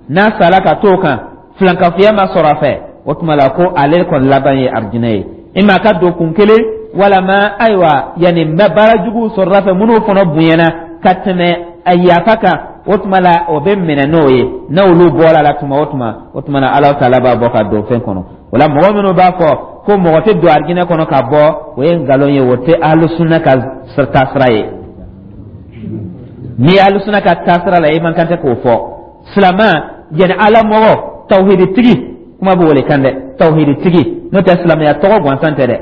n'a sara ka t'o kan, filankafoya ma sɔrɔ a fɛ, o tuma la ko ale kɔni laban ye arijinɛ ye. I ma ka don kun kelen, walama ayiwa yanni n bɛ baara juguw sɔrɔla fɛ minnu fana bonyana ka tɛmɛ a yafa kan, o tuma la o bɛ minɛ n'o ye. N'olu bɔra la tuma o tuma, o tuma na Ala taala b'a bɔ ka don fɛn kɔnɔ. O la, mɔgɔ minnu b'a fɔ ko mɔgɔ tɛ don arijinɛ kɔnɔ ka bɔ, o ye nkalon ye. O tɛ alusunna ka taasira ye. N'i ye alusuna ka taasira la, i man kan tɛ k'o fɔ. Silama yanni Ala mɔgɔ tawhiditigi, kuma b'o le kan dɛ, tawhiditigi, n'o tɛ silamɛya tɔgɔ gansan tɛ dɛ.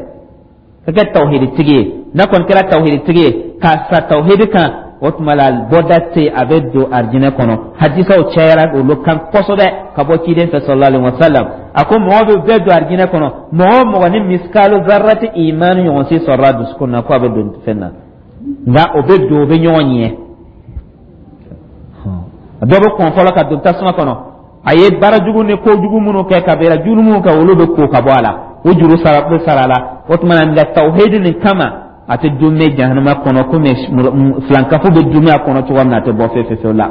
Ka kɛ tawhiditigi ye, n'a kɔni kɛra tawhiditigi ye k'a sa tawhidi kan, o tuma la bɔda tɛ yen, a bɛ don arijinɛ kɔnɔ. Hadisaw cayara olu kan kosɛbɛ ka bɔ ciden fɛ sallallahu alaihi wa sallam. A ko mɔgɔ bɛ bɛɛ don arijinɛ kɔnɔ, mɔgɔ o mɔgɔ ni miskalu zarrati imani ɲɔgɔn si sɔrɔla dusukun na, ko a bɛ don fɛn na. Nka o bɛ don, o bɛ ɲɔgɔn ɲɛ. Dɔ bɛ kɔn fɔlɔ ka don tasuma kɔnɔ. A ye baara jugu ni kojugu minnu kɛ, kabila jugu minnu kɛ, olu bɛ ko ka bɔ a la, o juru sara bɛ sara a la. O tuma na, nka tawhidi nin kama, a tɛ dumɛ jahanama kɔnɔ komi filankafo bɛ dumɛ a kɔnɔ cogoya min na, a tɛ bɔ fewu fewu la.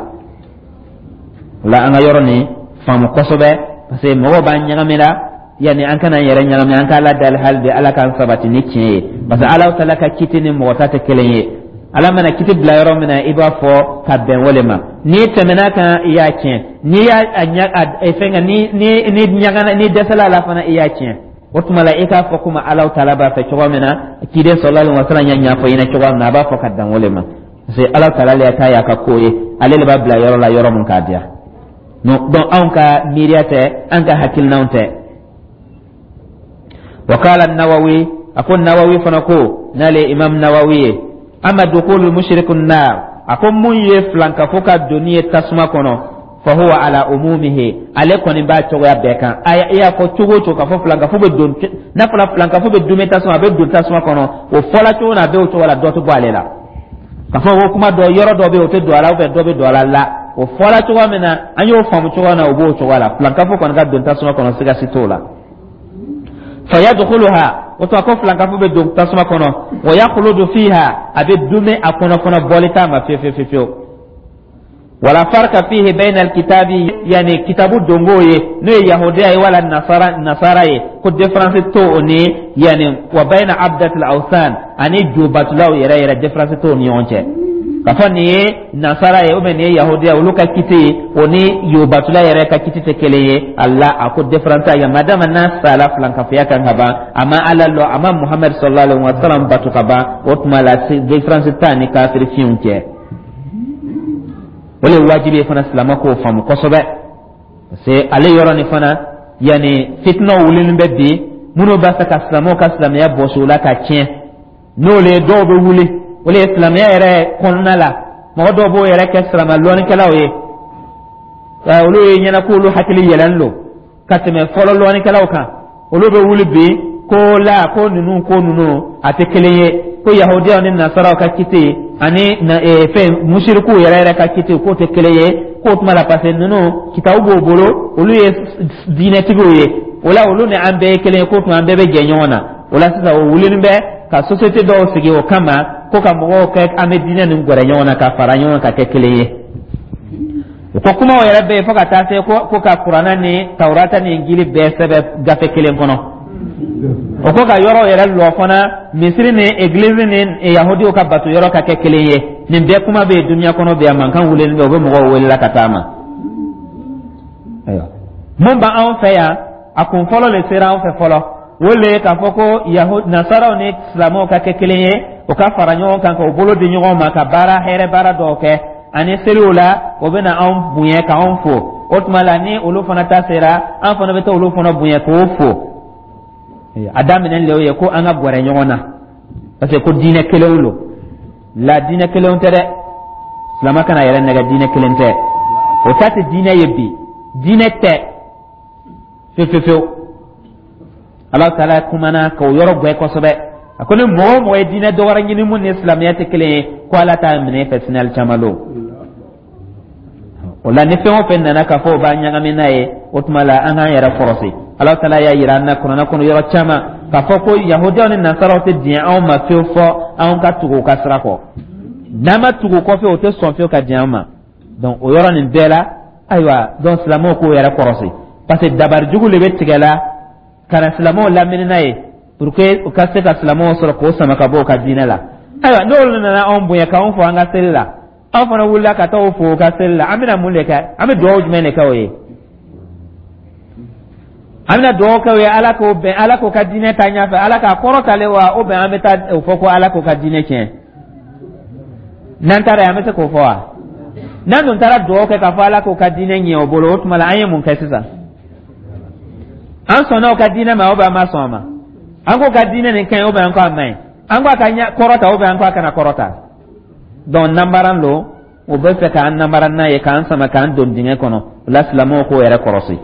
O la, an ka yɔrɔ nin faamu kosɛbɛ, parce que mɔgɔw b'an ɲagami la. Yanni an kana yɛrɛ ɲagami, an k'Ala dali hali bi, Ala k'an sabati ni tiɲɛ ye, parce que Ala taala ka kiti ni mɔgɔ ta tɛ kelen ye. Ala mana kiti bila yɔrɔ min na, i b'a fɔ ka bɛn o le ma. N'i tɛmɛna kan, i y'a tiɲɛ. N'i y'a a fɛn ni ni ni ɲagana, ni dɛsɛla a la fana, i y'a tiɲɛ. O tuma la, i k'a fɔ komi Ala taala b'a fɛ cogoya min na, ciden sallallahu alaihi wasallam y'a ɲɛfɔ i ɲɛna cogoya min na, a b'a fɔ ka dan o le ma, parce que Ala taala le ta y'a ka ko ye, ale de b'a bila yɔrɔ la yɔrɔ mun k'a diya. Donc anw ka miiriya tɛ, an ka hakilinaw tɛ. Wa qala Nawawi, a ko Nawawi fana ko, n'ale Imam Nawawi ye, ama dukulu mushriku nar, a ko mun ye filankafo ka donni ye tasuma kɔnɔ, fa huwa ala umumihi, ale kɔni b'a cogoya bɛɛ kan. A y'a fɔ cogo o cogo k'a fɔ filankafo bɛ don, n'a fɔra filankafo bɛ dume tasuma, a bɛ don tasuma kɔnɔ, o fɔla cogo na, a bɛ o cogo la, dɔ tɛ bɔ ale la. K'a fɔ ko kuma dɔ yɔrɔ dɔ bɛ yen, o tɛ don a la, ou dɔ bɛ don a la la, o fɔla cogoya min na, an y'o faamu cogoya min na, o b'o cogoya la. Filankafo kɔni ka don tasuma kɔnɔ, siga si t'o la. Fayadkhuluha, o tuma ko filankafo bɛ don tasuma kɔnɔ, wa yakhludu fiha, a bɛ dume a kɔnɔ fana, bɔli t'a ma fiyewu fiyewu fiyewu. Wala farka fihi bayna alkitabi, yani kitabu dongo ye, n'o ye yahudiya ye wala nasara nasara ye, ko différence t'o o ni yani wa bayna abdatil awsan, ani jobatulaw yɛrɛ yɛrɛ, différence t'o ni ɲɔgɔn cɛ. K'a fɔ nin ye nasara ye ou bien nin ye yahudiya, olu ka kiti ye, o ni yobatula yɛrɛ ka kiti tɛ kelen ye. Ala a ko différence t'a ye, madama n'a sala filankafoya kan ka ban, a ma Ala lɔ, a ma Muhammed sallallahu alaihi wa sallam batu ka ban, o tuma la différence t'a ni kafiri fiɲɛw cɛ. O le ye wajibi ye fana silamɛ k'o faamu kosɛbɛ, parce que ale yɔrɔ nin fana, yanni fitinaw wulilen bɛ bi, minnu b'a fɛ ka silamɛw ka silamɛya bɔsi u la ka tiɲɛ, n'o le ye dɔw bɛ wuli, o le ye silamɛya yɛrɛ kɔnɔna la, mɔgɔ dɔw b'o yɛrɛ kɛ silamɛ lɔnnikɛlaw ye. Olu ye ɲɛna k'olu hakili yɛlɛn don ka tɛmɛ fɔlɔ lɔnnikɛlaw kan. Olu bɛ wuli bi ko la ko ninnu ko ninnu a tɛ kelen ye, ko yahudiyaw ni nasaraw ka kiti ani fɛn musirikuw yɛrɛ yɛrɛ ka kiti k'o tɛ kelen ye, k'o tuma la parce que ninnu kitabu b'o bolo, olu ye diinɛtigiw ye. O la, olu ni an bɛɛ ye kelen ye, k'o tuma an bɛɛ bɛ jɛ ɲɔgɔn na. O la sisan, o wulinin bɛ ka société dɔw sigi o kama, ko ka mɔgɔw kɛ an bɛ diinɛ nin gɛrɛ ɲɔgɔn na, ka fara ɲɔgɔn kan, ka kɛ kelen ye. O ko kumaw yɛrɛ bɛ yen, fo ka taa se ko ko ka Kuranɛ ni Tawurata ni Injili bɛɛ sɛbɛn gafe kelen kɔnɔ. O ko ka yɔrɔw yɛrɛ lɔ fana, misiri ni egilizi ni yahudiw ka bato yɔrɔ ka kɛ kelen ye. Nin bɛɛ kuma bɛ yen duniya kɔnɔ bi, a mankan wulilen bɛ, u bɛ mɔgɔw welela ka taa ma. Ayiwa, mun b'anw fɛ yan, a kun fɔlɔ de sera anw fɛ fɔlɔ, o le ye k'a fɔ ko yahu nasaraw ni silamɛw ka kɛ kelen ye, o ka fara ɲɔgɔn kan, k'o bolo di ɲɔgɔn ma, ka baara hɛrɛ baara dɔw kɛ. Ani seliw la, o bɛ na anw bonya k'anw fo. O tuma la, ni olu fana ta sera, an fana bɛ taa olu fana bonya k'o fo. A daminɛ le o ye ko an ka gɛrɛ ɲɔgɔn na, parce que ko diinɛ kelenw lo. La, diinɛ kelenw tɛ dɛ. Silamɛ kana yɛrɛ nɛgɛ, diinɛ kelen tɛ. O ta tɛ diinɛ ye bi, diinɛ tɛ fefefewu. Ala taala kumana k'o yɔrɔ gbɛ kosɛbɛ. A ko ni mɔgɔ o mɔgɔ ye diinɛ dɔ wɛrɛ ɲini mun ni silamɛya tɛ kelen ye, ko Ala t'a minɛ e fɛ sini alikiyama don. O la, ni fɛn o fɛn nana k'a fɔ o b'a ɲagami n'a ye, o tuma la an k'an yɛrɛ kɔrɔsi. Ala taala y'a yira an na Kuranɛ kɔnɔ yɔrɔ caman k'a fɔ ko yahudiyaw ni nasaraw tɛ diɲɛ anw ma fiyewu, fɔ anw ka tugu u ka sira kɔ. N'an ma tugu u kɔ fiyewu, o tɛ sɔn fiyewu ka diɲɛ an ma. Donc o yɔrɔ nin bɛɛ la, ayiwa, donc silamɛw k'o yɛrɛ kɔrɔsi, parce que dabari jugu de bɛ tigɛ la ka na silamɛw lamini n'a ye, pour que u ka se ka silamɛw sɔrɔ k'o sama ka bɔ u ka diinɛ la. Ayiwa, n'olu nana anw bonya k'anw fo an ka seli la, anw fana wulila ka taa o fo u ka seli la, an bɛna mun de kɛ? An bɛ dugawu jumɛn de kɛ o ye? An bɛna dugawu kɛ o ye Ala k'o bɛn, Ala k'o ka diinɛ taa ɲɛfɛ, Ala k'a kɔrɔtalen wa, o bɛn an bɛ taa o fɔ ko Ala k'o ka diinɛ tiɲɛ? N'an taara yen, an bɛ se k'o fɔ wa? N'an dun taara dugawu kɛ k'a fɔ Ala k'o ka diinɛ ɲɛ o bolo, o tuma la an ye mun kɛ sisan? An sɔnna o ka diinɛ ma, o bɛ an ma sɔn a ma? An k'o ka diinɛ nin ka ɲi, o bɛ an ko a ma ɲi? An ko a ka kɔrɔta, o bɛ an ko a kana kɔrɔta? Donc nanbaran lo, o bɛ fɛ k'an nanbara n'a ye, k'an sama k'an don dingɛ kɔnɔ. O la, silamɛw k'o yɛrɛ kɔrɔsi,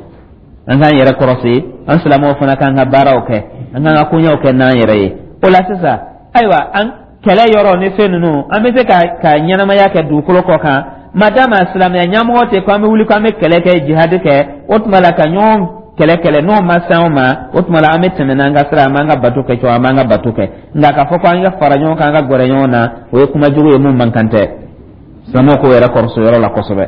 an k'an yɛrɛ kɔrɔsi. An silamɛw fana k'an ka baaraw kɛ, an k'an ka koɲɛw kɛ n'an yɛrɛ ye. O la sisan, ayiwa, an kɛlɛ yɔrɔ ni fɛn ninnu, an bɛ se ka ka ɲɛnamaya kɛ dugukolo kɔ kan, madama silamɛya ɲɛmɔgɔ tɛ ko an bɛ wuli ko an bɛ kɛlɛ kɛ, jihadi kɛ. O tuma la, ka ɲɔgɔn kɛlɛ kɛlɛ, n'o ma se anw ma, o tuma la an bɛ tɛmɛ n'an ka sira, an b'an ka bato kɛ cogo, an b'an ka bato kɛ. Nka k'a fɔ ko an ka fara ɲɔgɔn kan, an ka gɛrɛ ɲɔgɔn na, o ye kuma jugu ye mun man kan tɛ. Silamɛw k'o yɛrɛ kɔrɔsi yɔrɔ la kosɛbɛ.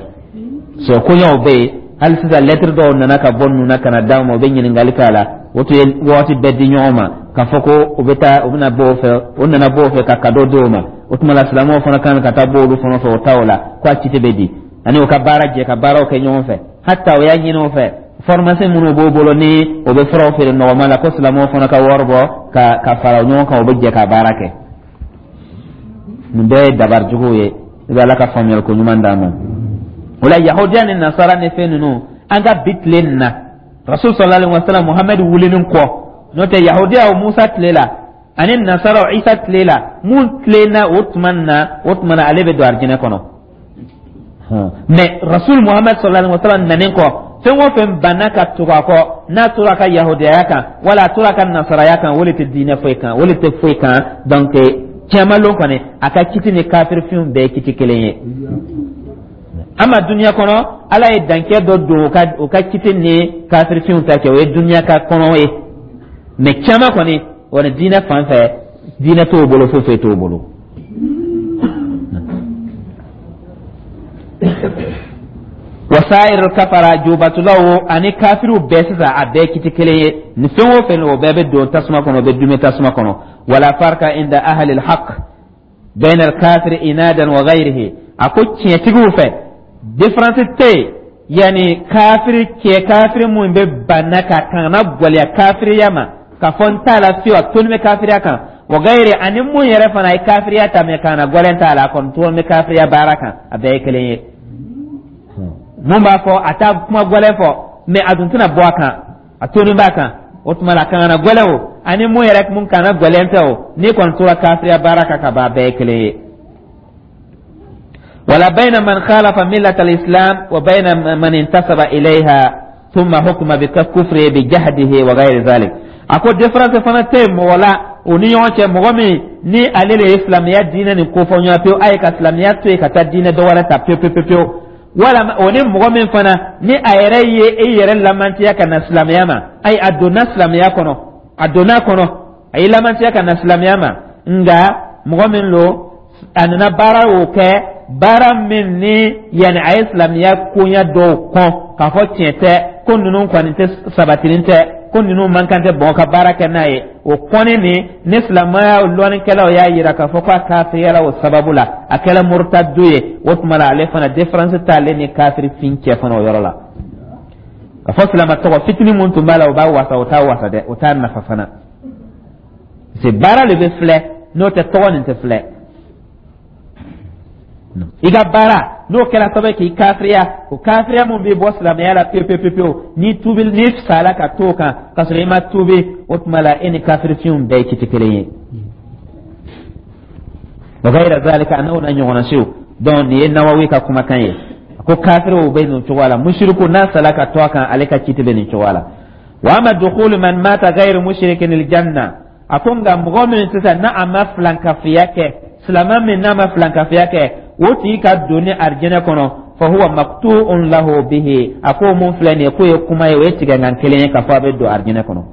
Sɔ koɲɛw bɛ yen hali sisan, lɛtiri dɔw nana ka bɔ ninnu na ka na d'anw ma, u bɛ ɲininkali k'a la. O tun ye waati bɛɛ di ɲɔgɔn ma k'a fɔ ko u bɛ taa, u bɛna bɔ o fɛ, o nana bɔ o fɛ ka cadeau di o ma. O tuma la, silamɛw fana kan ka taa bɔ olu fana fɛ, o ta o la ko a cite bɛ di ani u ka baara jɛ ka baaraw kɛ ɲɔgɔn fɛ. Hata o y'a ɲini o fɛ, pharmacie minnu b'o bolo ni o bɛ furaw feere nɔgɔma la, ko silamɛw fana ka wari bɔ ka ka fara ɲɔgɔn kan, o bɛ jɛ ka baara kɛ. Nin bɛɛ ye dabari juguw ye. I bɛ Ala ka faamuyali ko ɲuman d'an ma. O la, yahudiya ni nasara ni fɛn ninnu, an ka bi tile nin na, Rasul sallallahu alaihi wasallam, Muhamadu wulinin kɔ, n'o tɛ yahudiyaw Musa tile la ani nasaraw Isa tile la, mun tilenna o tuma na, o tuma na ale bɛ don arijinɛ kɔnɔ. Mais Rasul Muhamad sallallahu alaihi wasallam nanen kɔ, fɛn o fɛn banna ka tugu a kɔ, n'a tora a ka yahudiyaya kan wala a tora a ka nasaraya kan, o de tɛ diinɛ foyi kan, o de tɛ foyi kan. Donc cɛmalon kɔni, a ka kiti ni kafirifinw bɛɛ ye kiti kelen ye. Ama duniya kɔnɔ, Ala ye dankɛ dɔ don o ka o ka kiti ni kafirifinw ta cɛ, o ye duniya ka kɔnɔ ye. Mais caman kɔni, o ni diinɛ fan fɛ, diinɛ t'o bolo, foyi foyi t'o bolo. Wasair kafara, jubatulaw ani kafiriw bɛɛ sisan, a bɛɛ kiti kelen ye. Ni fɛn o fɛn, o bɛɛ bɛ don tasuma kɔnɔ, o bɛ dume tasuma kɔnɔ. Wala farka inda ahli alhaq bayna alkafir inadan wa ghayrihi. A ko tiɲɛtigiw fɛ, différence tɛ yen, yani kafiri cɛ, kafiri mun bɛ banna ka kana gwɛlɛya kafiriya ma, k'a fɔ n t'a la fiyewu, a toni bɛ kafiriya kan, wa gayiri, ani mun yɛrɛ fana ye kafiriya ta mɛ kana gwɛlɛn t'a la, a kɔni toni bɛ kafiriya baara kan, a bɛɛ ye kelen ye. Mun b'a fɔ a t'a kuma gwɛlɛn fɔ, mɛ a dun tɛna bɔ a kan, a toni b'a kan, o tuma la kana gwɛlɛn o, ani mun yɛrɛ mun kana gwɛlɛn tɛ o, n'i kɔni tora kafiriya baara kan ka ban, a bɛɛ ye kelen ye. Wala bayna man khalafa millata al-islam wa bayna man intasaba ilayha thumma hukma bi kufri bi jahdihi wa ghayri dhalik. A ko différence fana tɛ yen mɔgɔ la o ni ɲɔgɔn cɛ, mɔgɔ min ni ale de ye silamɛya diinɛ nin kofɔ ɲɔgɔn pewu, a ye ka silamɛya to yen ka taa diinɛ dɔ wɛrɛ ta pewu pewu pewu. Walama o ni mɔgɔ min fana ni a yɛrɛ ye e yɛrɛ lamantiya ka na silamɛya ma, ayi, a donna silamɛya kɔnɔ, a donna kɔnɔ, a y'i lamantiya ka na silamɛya ma, nka mɔgɔ min lo, a nana baara o kɛ, baara min ni yanni a ye silamɛya koɲɛ dɔw kɔn k'a fɔ tiɲɛ tɛ, ko ninnu kɔni tɛ sabatilen tɛ, ko ninnu man kan tɛ bɔn ka baara kɛ n'a ye, o kɔni ni ni silamɛya lɔnnikɛlaw y'a yira k'a fɔ k'a kafiriyala o sababu la, a kɛra murtadu ye. O tuma la, ale fana, différence t'ale ni kafiri fin cɛ fana o yɔrɔ la. Ka fɔ silamɛ tɔgɔ fitinin mun tun b'a la, o b'a wasa, o t'a wasa dɛ, o t'a nafa fana, parce que baara de bɛ filɛ, n'o tɛ tɔgɔ nin tɛ filɛ. I ka baara n'o kɛra sababu ye k'i kafiriya, o kafiriya mun b'i bɔ silamɛya la pewu pewu pewu, n'i tuubi, n'i sala ka t'o kan ka sɔrɔ i ma tuubi, o tuma la e ni kafirifinw bɛɛ ye kiti kelen ye. Wa gayira zalika, a n'o na ɲɔgɔnna siw. Donc nin ye Nawawi ka kumakan ye. A ko kafiriw bɛ nin cogoya la, musiriku n'a sala ka to a kan, ale ka kiti bɛ nin cogoya la. Wa ama dukhulu man mata ghayru mushrikin aljanna, a ko nka mɔgɔ min sisan n'a a ma filankafiya kɛ, silamɛ min n'a ma filankafiya kɛ, o tigi ka donni arijinɛ kɔnɔ, fa huwa maqtu'un lahu bihi. A ko mun filɛ nin ye, k'o ye kuma ye, o ye tigɛnkan kelen ye k'a fɔ a bɛ don arijinɛ kɔnɔ.